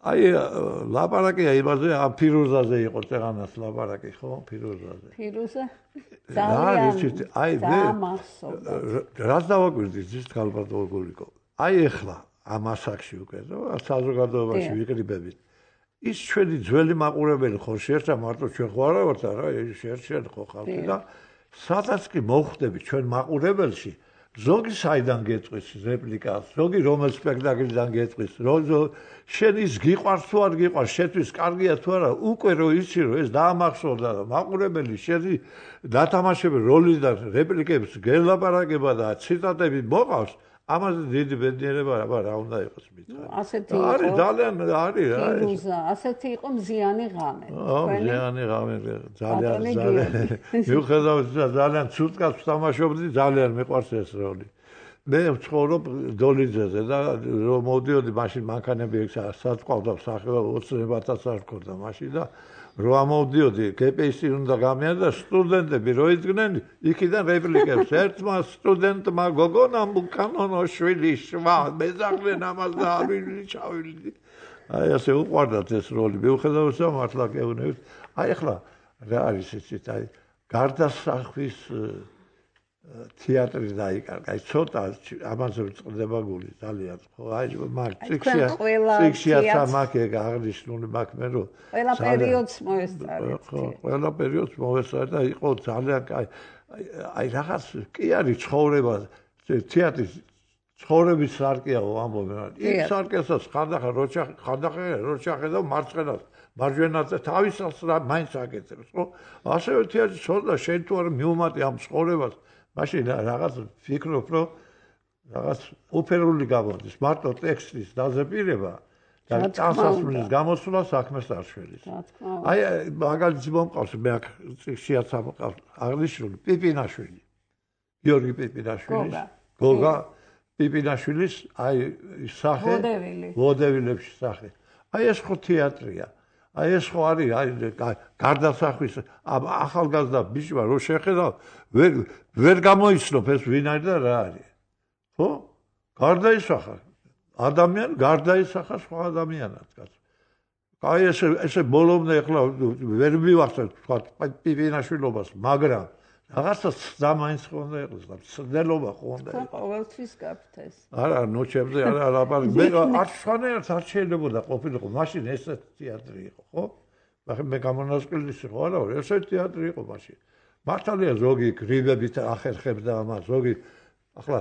აი ლაპარაკია იმაზე ამ ფირუზაზე იყო წეღანას ლაპარაკი ხო ფირუზაზე ფირუზა ძალიან აი რას დავაკვირდით ის ქალბატონო გულიკო აი ეხლა ამ ასაკში უკვე საზოგადოებაში ვიყრიბებით ის ჩვენი ძველი მაყურებელი ხო შეერთდა მარტო ჩვენ ხო არა ვართ რა შეერთდა ხო ხალხი და სადაც კი მოხვდები ჩვენ მაყურებელში ზოგი საიდან გეტყვის რეპლიკას ზოგი რომელ სპექტაკლიდან გეტყვის შენ ის გიყვარს თუ არ გიყვარს შეთვის კარგია თუ არა უკვე რო იცი რომ ეს დაამახსოვრდა და მაყურებელი შენი დათამაშების როლის და რეპლიკების გელაპარაკება და ციტატები მოყავს ამაზე დიდი ბედნიერება რა უნდა იყოს მითხარი ასეთი იყო არის ძალიან არის ფირუზა ასეთი იყო მზიანი ღამე მზიანი ღამე ძალიან მიუხედავად ძალიან ცუდკაც ვთამაშობდი ძალიან მიყვარს ეს როლი მე ვცხოვრობ დოლიძეზე და რომ მოვდიოდი მაშინ მანქანები საწყვავდა სახეობა 20,000 არ ქონდა მაშინ და რო ამოვდიოდი გპსი უნდა გამიანდა სტუდენტები რო იდგნენ იქიდან რეპლიკებს ერთმა სტუდენტმა გოგონამ უკანონო შვილი შვა მეზაღლენ ამას და ავილი ჩავილი აი ასე უყვარდათ ეს როლი მიუხედავად მართლა გეუბნებით აი ახლა რა არის ისიც აი გარდასახვის თეატრი დაიკარგა აი ცოტა ამაზე ვწყდება გული ძალიან ხო აი მაგ წიქშია მაკე აღნიშნული მაკ მე რომ ყველა პერიოდს მოესწარეთ ხო ყველა პერიოდს მოესწარ და იყო ძალიან აი რაღაც კი არის ცხოვრება თეატრის ცხოვრების სარკეაო ამბობენ იქ სარკესაც ხანდახან როჩახე და მარცხენას მარჯვენაზე თავისას რა მაინც აკეთებს ხო ასევე თეატრი ცოტა შენ თუ არ მიუმატე ამ ცხოვრებას მაშინ რაღაც ფიქრობ რომ რაღაც ოფერული გამოდის მარტო ტექსტის დაზეპირება და წასასრულის გამოსვლა საქმეს არ შველის აი მაგალითი მომყავს მე აქ წიგნშიაც ამყავს აღნიშნული პიპინაშვილი გიორგი პიპინაშვილის გოგა პიპინაშვილის აი სახე ვოდებილებში სახე აი ეს ხო თეატრია აი ეს ხო არის აი გარდასახვის ახალგაზრდა ბიჭმა რო შეხედავ ვერ გამოიცნობ ეს ვინ არის და რა არის ხო გარდაისახა ადამიანი გარდაისახა სხვა ადამიანად კაც აი ესე ბოლომდე ახლა ვერ მივახსენებ თქვა პიპინაშვილობას მაგრამ რაღაცა ძამაინც ხონდა იყოს და ცდელობა ხონდა იყო ყოველთვის გაქვთ ეს არა ნოჩებზე არა ლაპარაკი მე არ სხვანაირად არ შეიძლება ყოფილიყო მაშინ ესე თეატრი იყო ხო მე გამონასყიდის იყო არა ესე თეატრი იყო მაშინ მართალია ზოგი გრიბებით ახერხებდა ამას ზოგი ახლა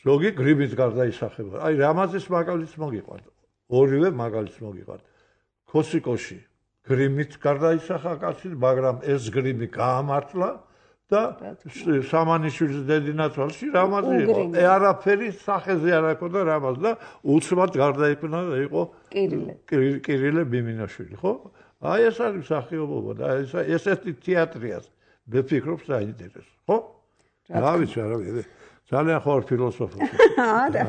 ზოგი გრიბით გარდაისახება აი რამაზის მაგალითს მოგიყვართ ორივე მაგალითს მოგიყვართ ქოსიკოში გრიმით გარდაისახა კაცი მაგრამ ეს გრიმი გაამართლა და სამანიშვილის დედინაცვალში რამაზი იყო არაფერი სახეზე არ აქვს და რამაზ და უცბად გარდაიქმნა და იყო კირილე ბიმინაშვილი ხო აი ეს არის მსახიობობა და ესეთი თეატრია მე ვფიქრობ საინტერესო ხო რა ვიცი არა ძალიან ხარ ფილოსოფოსი არა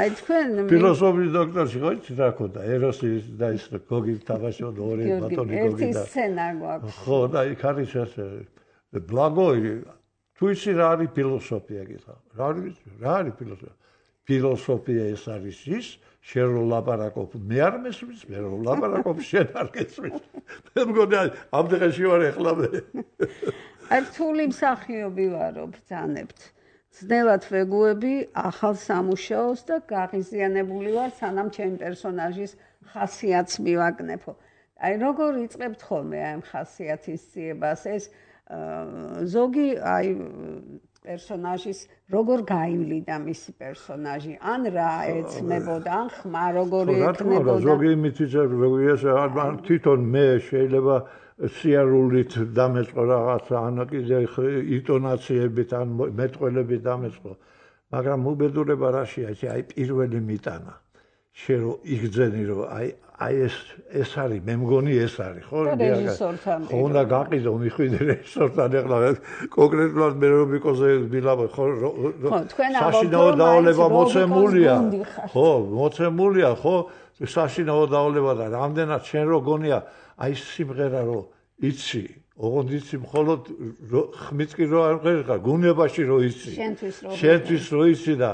აი თქვენ ფილოსოფიის დოქტორი ხო იცი რა ქონდა ეროსი და ის გოგი თამაშობდა ორი ბატონი გოგი და ერთი სცენა გვაქვს ხო და იქ არის ესე ბლაგოი თუ იცი რა არის ფილოსოფია გითხა რა არის ფილოსოფია ფილოსოფია ეს არის ის შენ რო ლაპარაკობ მე არ მესმის მე რო ლაპარაკობ შენ არ გესმის მე მგონი ამ დღეში ვარ ეხლა მე აი რთული მსახიობი ვარო ბრძანებთ ძნელად ვეგუები ახალ სამუშაოს და გაღიზიანებული ვარ სანამ ჩემი პერსონაჟის ხასიათს მივაგნებო აი როგორ იწყებთ ხოლმე ამ ხასიათის ძიებას ეს ზოგი აი პერსონაჟის როგორ გაივლიდა მისი პერსონაჟი ან რა ეცნებოდა ან ხმა როგორი ექნებოდა ზოგი მითითებდა თვითონ მე შეიძლება სიარულით დამეწყო რაღაცა ან კიდე ინტონაციებით ან მეტყველებით დამეწყო მაგრამ უბედურება რაშია აი პირველი მიტანა შენ რო იგძენი რომ აი ეს არის მე მგონი ეს არის ხო ხო უნდა გაყიდო მიხვიდე რეჟისორთან ეხლა კონკრეტულად მე რო მიკოზე ვილაბო ხო საშინაო დავალება მოცემულია ხო მოცემულია ხო საშინაო დავალება და რამდენად შენ რო გონია აი სიმღერა რო იცი ოღონდ იცი მხოლოდ ხმით კი რო არ ღერხა გუნებაში რო იცი შენთვის რო იცი და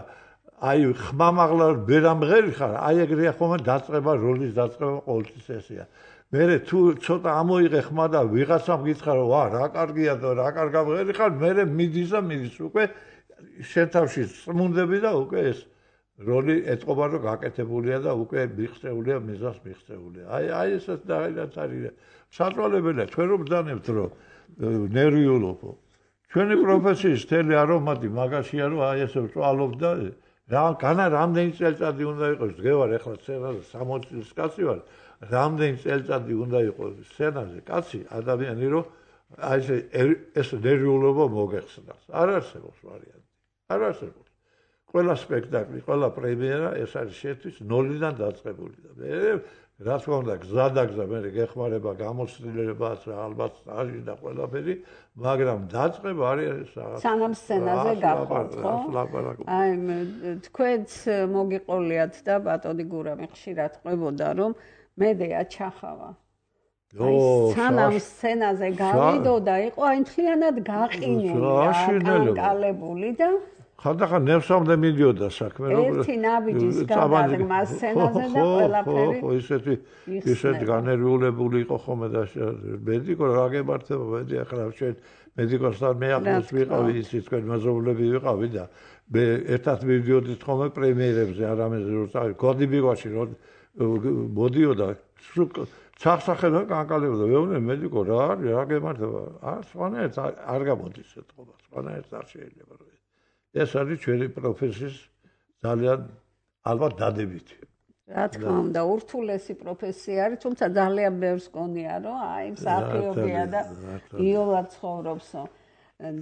აი ხმამაღლა ვერ ამღერი ხარ აი ეგრეა ხომ დაწყება როლის დაწყება ყოველთვის ესეა მე თუ ცოტა ამოიღე ხმა და ვიღაცამ გითხრა რომ ვა რა კარგია და რა კარგ ამღერი ხარ მე მიდის უკვე შენ თავში წმუნდები და უკვე ეს როლი ეთყობა რომ გაკეთებულია და უკვე მიღწეულია მიზანს მიღწეულია აი ესეც დაიდაც არის საწვალებელია თქვენ რომ ბრძანებთ რომ ნერვიულობო ჩვენი პროფესიის თელი არომატი მაგაშია რომ აი ესე ვწვალობ და განა რამდენი წელიწადი უნდა იყოს დღევარ ეხლა სცენაზე 60 წლის კაცი ვარ რამდენი წელიწადი უნდა იყოს სცენაზე კაცი ადამიანი რომ აი ეს ნერვიულობა მოგეხსნას არ არსებობს ვარიანტი არ არსებობს ყველა სპექტაკლი ყველა პრემიერა ეს არის შეთვის 0-დან დაწყებული და მე რა თქმა უნდა გზადაგზა მე გეხმარება გამოცდილებაც რა ალბათ სტაჟი და ყველაფერი მაგრამ დაწყება არის სანამ სცენაზე გავხართ ხო აი თქვენც მოგიყოლიათ და ბატონი გურამი ხშირად ყვებოდა რომ მედეა ჩახავა აი სანამ სცენაზე გავიდო და იყო აი მთლიანად გაყინული კალებული და ხანდახან ნერსამდე მიდიოდა საქმე ერთი ნაბიჯის გადაღმა სცენაზე და ყველაფერი ხო ისეთი განერვიულებული იყო ხოლმე და მედიკო რა გემართება მედი ახლა შენ მედიკოსთან მე ახლოს ვიყავი ისი თქვენ მეზობლები ვიყავი და მე ერთად მივიდოდით ხოლმე პრემიერებზე არამედ როცა კოდიბიგვაში რომ მოდიოდა სახსახელო განკალებოდა ვეუბნე მედიკო რა გემართება სხვანაირად არ გამოდის ეთყობა სხვანაირად არ შეიძლება რომ ეს არის ჩვენი პროფესიის ძალიან ალბათ დადებითი. რა თქმა უნდა, ურთულესი პროფესია არის, თუმცა ძალიან ბევრს გონია, რომ აი მსახიობია და იოლად ცხოვრობსო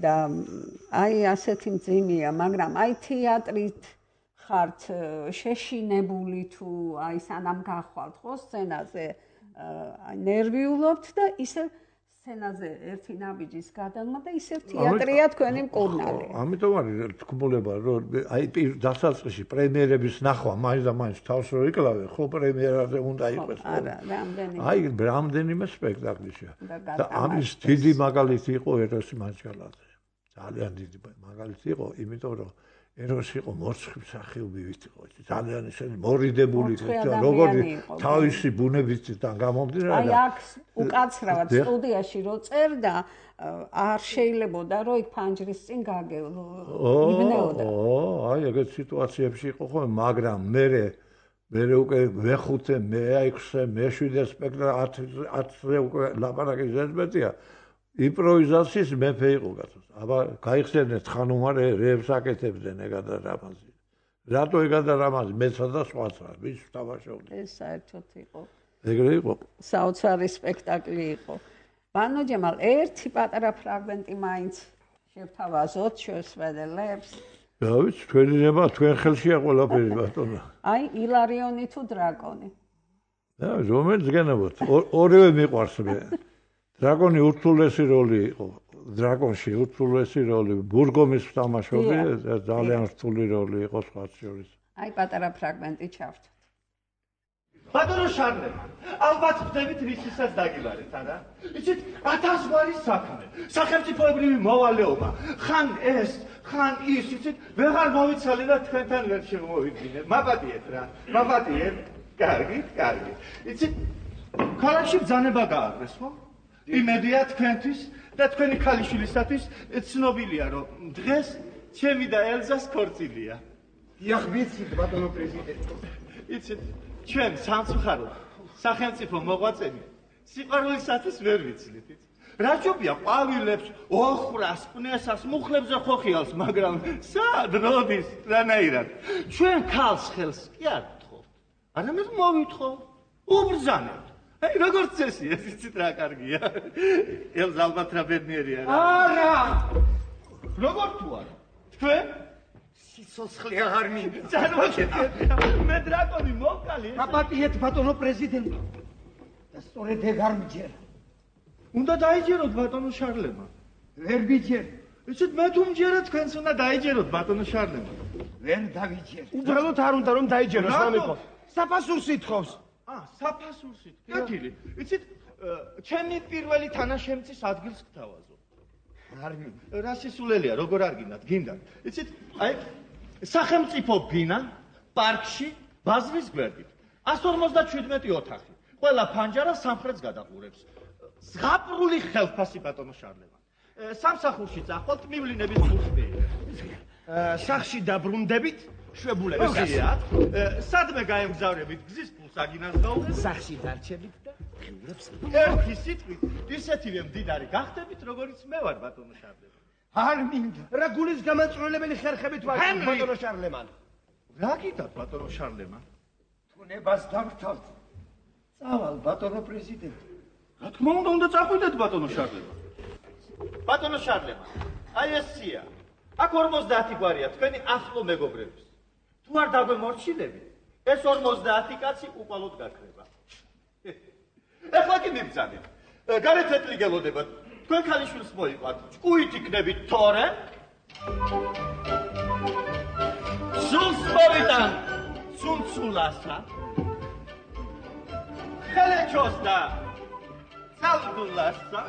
და აი ასეთი მძიმეა, მაგრამ აი თეატრით ხართ შეშინებული თუ აი სანამ გახვალთ ხო სცენაზე აი ნერვიულობთ და ისე სცენაზე ერთი ნაბიჯის გადაღმა და ისევ თეატრია თქვენი მკურნალი. ამიტომ არის თქმულება რომ აი დასაწყისში პრემიერების ნახვა მაინც და მაინც თავს რო იკლავე ხო პრემიერაზე უნდა იყოს. არა, რამდენი. აი რამდენიმე სპექტაკლია. და ამის დიდი მაგალითი იყო ეროსი მანჩალაძე. ძალიან დიდი მაგალითი იყო, იმიტომ რომ ეროსი იყო მორცხვი მსახიობივით იყო. ძალიან ისეთი მორიდებული იყო, როგორი თავისი ბუნებისგან გამომდინარე. აი აქ უკაცრავად სტუდიაში რო წერდა, არ შეიძლებოდა რომ იქ ფანჯრის წინ გაგებნეოდა. აი ეგეთ სიტუაციებში იყო ხოლმე, მაგრამ მე უკვე მე-5-ე, მე-6-ე, მე-7-ე სპექტაკლი 10-ზე უკვე ლაპარაკი ზედმეტია. იმპროვიზაციის მეფე იყო გასულ. აბა გაიხსენეთ ხანუმარ რეებს აკეთებდნენ ეგა და რამაზი. რატო ეგა და რამაზი მეცა და სხვაც რა, ვის თამაშობდა. ეს საერთოდ იყო. ეგრე იყო. საოცარი სპექტაკლი იყო. ბანო ჯემალ ერთი პატარა ფრაგმენტი მაინც შევთავაზოთ შესვენელებს. რა ვიცი, თქვენი ნება თქვენ ხელშია ყველაფერი ბატონო. აი ილარიონი თუ დრაკონი. რომელიც გენებოთ, ორივე მიყვარს მე. დრაკონი ურთულესი როლი იყო. დრაკონში ურთულესი როლი, ბურგომის თამაშობი, ძალიან რთული როლი იყო სხვაც შორის. აი პატარა ფრაგმენტი ჩავთვით. ბატონო შარლემ, ალბათ ხდებით რისთვისაც დაგილარეთ, არა? იცით, 1000 გვარი საქმე, სახელმწიფოებრივი მოვალეობა, ხან ეს, ხან ის, იცით, ვეღარ მოვიცალე და თქვენთან ვერ შემოვიდგინე. მაპატიეთ რა, მაპატიეთ. კარგი. იცით, ქალაქში ბრძანება გააკრეს, ხო? იმედია თქვენთვის და თქვენი ქალიშვილისათვის ცნობილია, რომ დღეს ჩემი და ელზას ქორწილია. დიახ, ვიცით, ბატონო პრეზიდენტო. იცით, ჩვენ სამწუხაროდ სახელმწიფო მოღვაწენი სიყვარულისათვის ვერ ვიცლით. რა ჯობია ყვავილებს, ოხრას, ყნესას, მუხლებზე ხო ხიალს, მაგრამ სად როდის რანაირად? ჩვენ ქალს ხელს კი არ გთხოვთ. არამედ მოვითხოვ, უბრძანებთ. აი როგორც წესი, ეს იცით რა კარგია. ელს ალბათ რა ბედნიერია რა. არა! როგორ თუ არა? თქვენ სიცოცხლე აღარ მინდა. წარმოგიდგენთ, მე დრაკონი მოვკალი. გაპატიეთ ბატონო პრეზიდენტი. და სწორედ ეგ არ მჯერა. უნდა დაიჯეროთ ბატონო შარლემა. ვერ ვიჯერ. იცით მე თუ მჯერა თქვენს უნდა დაიჯეროთ ბატონო შარლემა. ვერ დავიჯერ. უბრალოდ არ უნდა რომ დაიჯეროს რამე. საფასურს ითხოვს. საფასურს ითხოვს. კეთილი. იცით ჩემი პირველი თანაშემწის ადგილს გთავაზობ. არ მინდა. რა სისულელია, როგორ არ გინდათ, გინდათ. იცით, აი სახელმწიფო ბინა პარკში ბაზრის გვერდით. 157 ოთახი. ყველა ფანჯარა სამხრეთს გადაყურებს. ზღაპრული ხელფასი ბატონო შარლემა. სამსახურში წახვალთ მივლინების მუხტი. სახში დაბრუნდებით, შვებულებს გასიათ. სადმე გაემგზავრებით, გზის ფულს აგინაზღაურეთ. სახში დარჩებით და ღიურებს. ერთი სიტყვით, ისეთივე მდიდარი გახდებით, როგორიც მე ვარ ბატონო შარლემა. არ მინდა. რა გულის გამაწვენებელი ხერხებით ვარ ბატონო შარლემან. რა გიდათ ბატონო შარლემა? თუნებას დავთავთ. წავალ ბატონო პრეზიდენტი. რა თქმა უნდა წახვიდეთ ბატონო შარლემა. ბატონო შარლემა, აი ესია. აქ 50 გვარია თქვენი ახლო მეგობრების. თუ არ დაგვემორჩილებით, ეს 50 კაცი უყალოდ გაქრება. ეხლა კი მიბრძანეთ. გარეთ ეტლი გელოდებათ. თქვენ ქალიშვილს მოიყვათ. ჭკუით იქნებით თორე. სულს მოვიტან ცუნცულასა. ხელეჩოს და ცალდულასა.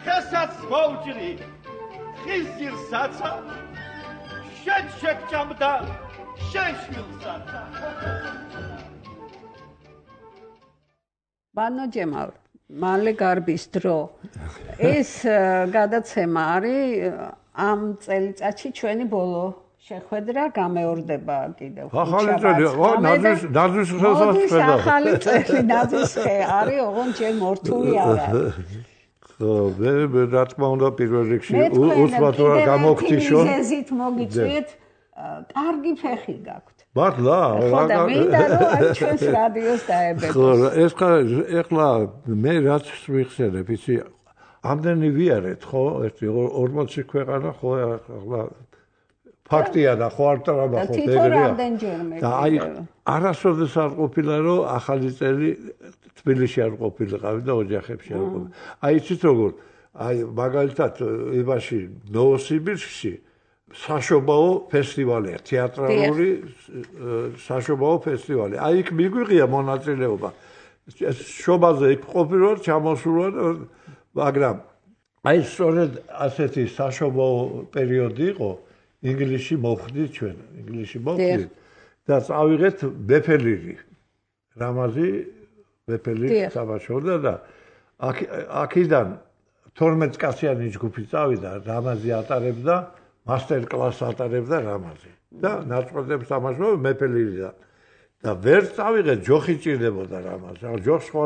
ხესაც მოვჭრი ხიზირსაცა. შენ შეგჭამდა შენ შვილსაცა. ბანო ჯემალ, მალე გარბის დრო. ეს გადაცემა არის ამ წელიწადში ჩვენი ბოლო შეხვედრა გამეორდება კიდევ. ახალი წელი, ნაძვის ხელსაწყოა. ახალი წელი ნაძვის ხე არის, ოღონდ ჯერ მორთული არ არის. ხო, მე რა თქმა უნდა პირველ რიგში უსმათ რა გამოგთიშო. მიზეზით მოგიწვიეთ, კარგი ფეხი გაქვთ. მართლა? ხო და მინდა რომ აი ჩვენს რადიოს დაებებოს. ხო, ეს ეხლა მე რაც ვიხსენებ, იცი, ამდენი ვიარეთ, ხო, ერთი 40 ქვეყანა, ხო, ახლა ფაქტია და ხო არ ტრაბა ხო ეგრეა. და აი არასოდეს არ ყოფილა რომ ახალი წელი თბილისში არ ყოფილიყავი და ოჯახებში არ ყოფილი. აი იცით როგორ აი მაგალითად იმაში ნოვოსიბირსკში საშობაო ფესტივალია, თეატრალური საშობაო ფესტივალი. აი იქ მიგვიღია მონაწილეობა. შობაზე იქ ყოფილვარ, ჩამოსულვარ, მაგრამ აი სწორედ ასეთი საშობაო პერიოდი იყო. ინგლისში მოვხდით ჩვენ, ინგლისში მოვხდით და წავიღეთ ბეფელირი. რამაზი ბეფელირი საბაშოვდა და აქედან 12 კაციანი ჯგუფი წავიდა, რამაზი ატარებდა, მასტერ კლასს ატარებდა რამაზი. და ნაწყვეტებს თამაშობდა ბეფელირიდან. და ვერ წავიღეთ, ჯოხი ჭირდებოდა რამაზი. ჯოხს ხო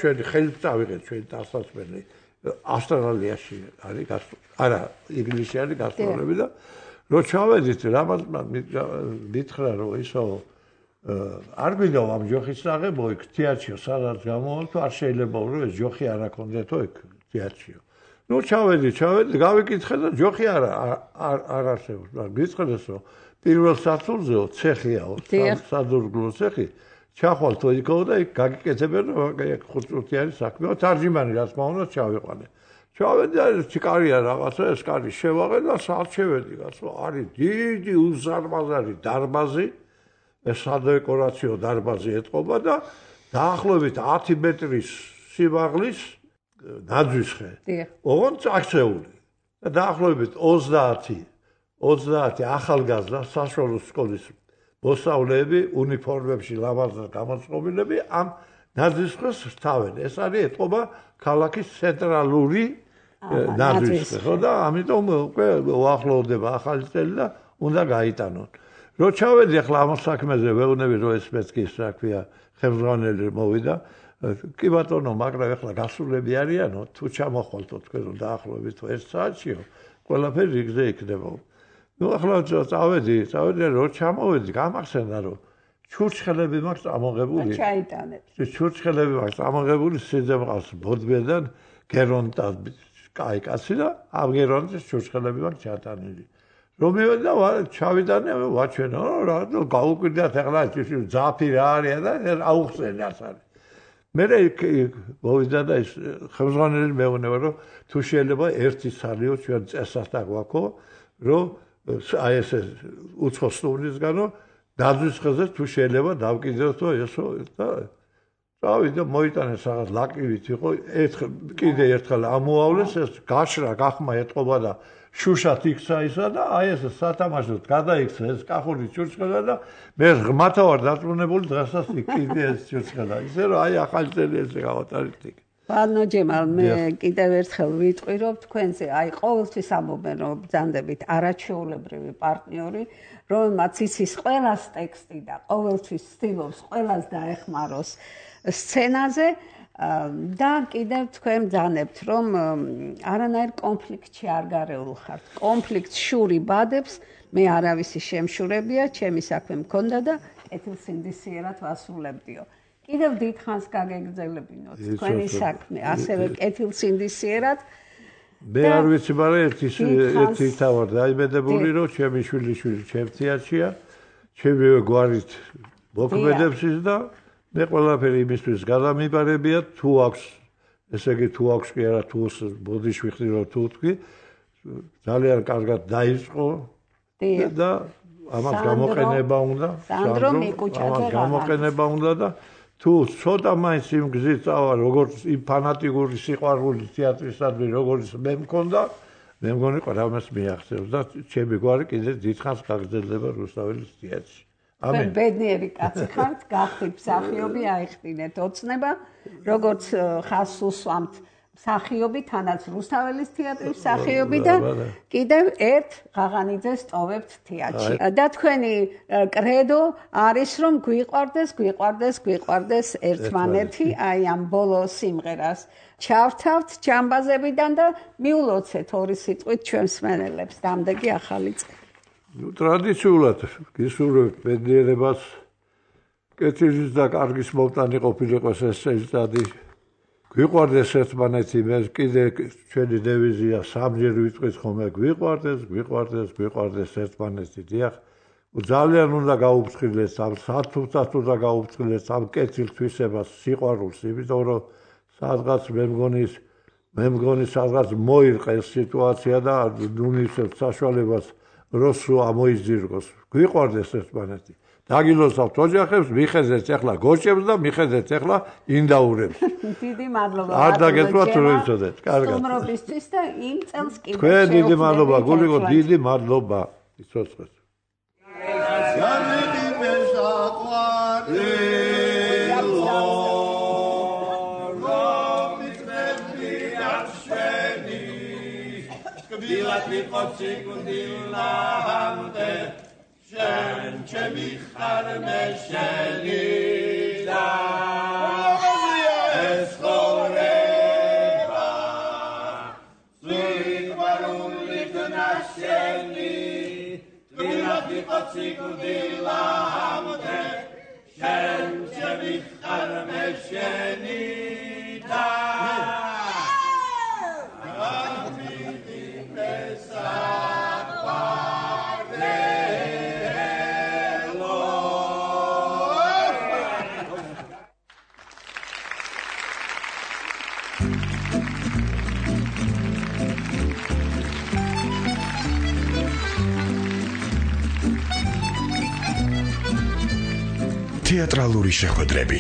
ჩვენი ხელით წავიღეთ, ჩვენი დასასვენი. ავსტრალიაში არის არა ინგლისში არის გასტროლები და რო ჩავედით რამაზმა მითხრა რომ ისო არ გვინდა ამ ჯოხის აღება იქ თეატრშიო სადაც გამოვალ თუ არ შეიძლება რომ ეს ჯოხი არ აქონდეთო იქ თეატრშიო ნუ ჩავედი გავიკითხე და ჯოხი არ არსებობს მაგრამ გიცხდეს რომ პირველ სართულზეო ცეხიაო სადურგლო ცეხი ჩახვალთო იქო და იქ გაგიკეთებენ რომ ეგ ხუთწუთიანი საქმეა თარჯიმანი რაც მაუნდა ჩავიყვანე ჩავედი ჩიკარია რაღაცა ეს კარი შევაღე და სად შევედი გასო არის დიდი უზარმაზარი დარბაზი ეს სადეკორაციო დარბაზი ეტყობა და დაახლოებით 10 მეტრის სიმაღლის ნაძვის ხე ოღონდ აქცეული და დაახლოებით 30 ახალგაზრდა საშუალო სკოლის მოსწავლეები უნიფორმებში ლამაზად გამოწყობილები ამ ნაძვის ხეს თავენ ეს არის ეტყობა ქალაქის ცენტრალური ნაძვის ხე ხო და ამიტომ უკვე უახლოვდება ახალი წელი და უნდა გაიტანონ რო ჩავედი ახლა ამ საქმეზე ვეუბნები რომ ეს მეთქის რა ქვია ხელმძღვანელი მოვიდა კი ბატონო მაგრამ ახლა გასულები არიანო თუ ჩამოხვალთო თქვენ რომ დაახლოებით თუ 1 საათშიო ყველაფერი რიგზე იქნება ნუ ახლა წავედი რო ჩამოვედი გამახსენდა რომ ჩურჩხელები მაქვს ამოღებული ჩაიტანებს ჩურჩხელები მაქვს ამოღებული სიძემყავს ბოდბედან გერონტა კაი კაცი და ამ გერონტის ჩურჩხელები მაქვს ჩატანილი რომ მივედი და ჩავიდანე ვაჩვენო რა გაუკვირდათ ახლა ძაფი რა არის და აუხსენე ას არის მე მოვიდა და ეს ხელმძღვანელი მეუბნება რომ თუ შეიძლება ერთი სალიო ჩვენ წესას დაგვაქო რომ აი ეს უცხო სტუმრისგანო დაზვის ხეზე თუ შეიძლება დავკიდოთ ესო და წავიდა მოიტანეს რაღაც ლაკივით იყო კიდე ერთხელ ამოავლეს ეს გაშრა გახმა ეტყობა და შუშათ იქცა ისა და აი ეს სათამაშოდ გადაიქცა ეს კახური ჩურჩხელა და მე ღმათა ვარ დაწუნებული დღესაც კიდე ეს ჩურჩხელა ისე რომ აი ახალი წელი ესე გავატარეთ ბანო ჯემალ მე კიდევ ერთხელ ვიტყვი რომ თქვენზე აი ყოველთვის ამობენ რომ ბრძანდებით არაჩვეულებრივი პარტნიორი რომელმაც იცის ყველას ტექსტი და ყოველთვის ცდილობს ყველას დაეხმაროს სცენაზე და კიდევ თქვენ ბრძანებთ რომ არანაირ კონფლიქტში არ გარეულ ხართ კონფლიქტს შური ბადებს მე არავისი შემშურებია ჩემი საქმე მქონდა და კეთილსინდისიერად ვასრულებდიო კიდევ დიდხანს გაგეგრძელებინოთ თქვენი საქმე ასევე კეთილსინდისიერად მე არ ვიცი მაგრამ ერთი თავად დაიმედებული რომ ჩემი შვილი ჩემთიაშია ჩემი გვარით მოქმედებს ის და მე ყველაფერი იმისთვის გადამიბარებია თუ აქვს ესე იგი თუ აქვს კი არა თუ ბოდიშვიხდი რომ თუ თქვი ძალიან კარგად დაიწყო და ამას გამოყენება უნდა სანდრო მიკუჭაძე გამოყენება უნდა და თუ ცოტა მაინც იმ გზით წავა როგორც იმ ფანატიკური სიყვარული თეატრისადმი როგორც მე მქონდა მე მგონი ყველას მიაღწევს და ჩემი გვარი კიდე დიდხანს გაგრძელდება რუსთაველის თეატრში ამენ ბედნიერი კაცი ხართ გახდით მსახიობი აიხდინეთ ოცნება როგორც ხაზს უსვამთ მსახიობი თანაც რუსთაველის თეატრის მსახიობი და კიდევ ერთ ღაღანიძეს ტოვებთ თეატრში და თქვენი კრედო არის რომ გვიყვარდეს ერთმანეთი აი ამ ბოლო სიმღერას ჩავთავთ ჯამბაზებიდან და მიულოცეთ ორი სიტყვით ჩვენს მენელებს დამდეგი ახალი წელი ნუ ტრადიციულად გისურვებთ ბედნიერებას კეთილის და კარგის მომტანი ყოფილიყოს ეს წელიწადი გვიყვარდეს ერთმანეთი მე კიდე ჩვენი დევიზია სამჯერ ვიტყვით ხოლმე გვიყვარდეს ერთმანეთი დიახ ძალიან უნდა გაუფრთხილდეს ამ სათუთად უნდა გაუფრთხილდეს ამ კეთილთვისებას სიყვარულს იმიტომ რომ სადღაც მე მგონი სადღაც მოირყე ეს სიტუაცია და ნუნისებს საშუალებას როსო ამოიზირგოს გვიყვარდეს ერთმანეთი დაგილოცავთ ოჯახებს მიხედეთ ახლა გოჭებს და მიხედეთ ახლა ინდაურებს დიდი მადლობა არ დაგეწვათ რომ იცოდეთ კარგად სტუმრობისთვის და იმ წელს კიდევ თქვენ დიდი მადლობა გულიკო დიდი მადლობა იცოცხლეთ შენ ჩემი ხარ მე შენი და ეს ხორება სიყვარული გნაშენი თბილად იყო სიკვდილა ამდე შენ ჩემი ხარ მე შენი და თეატრალური შეხვედრები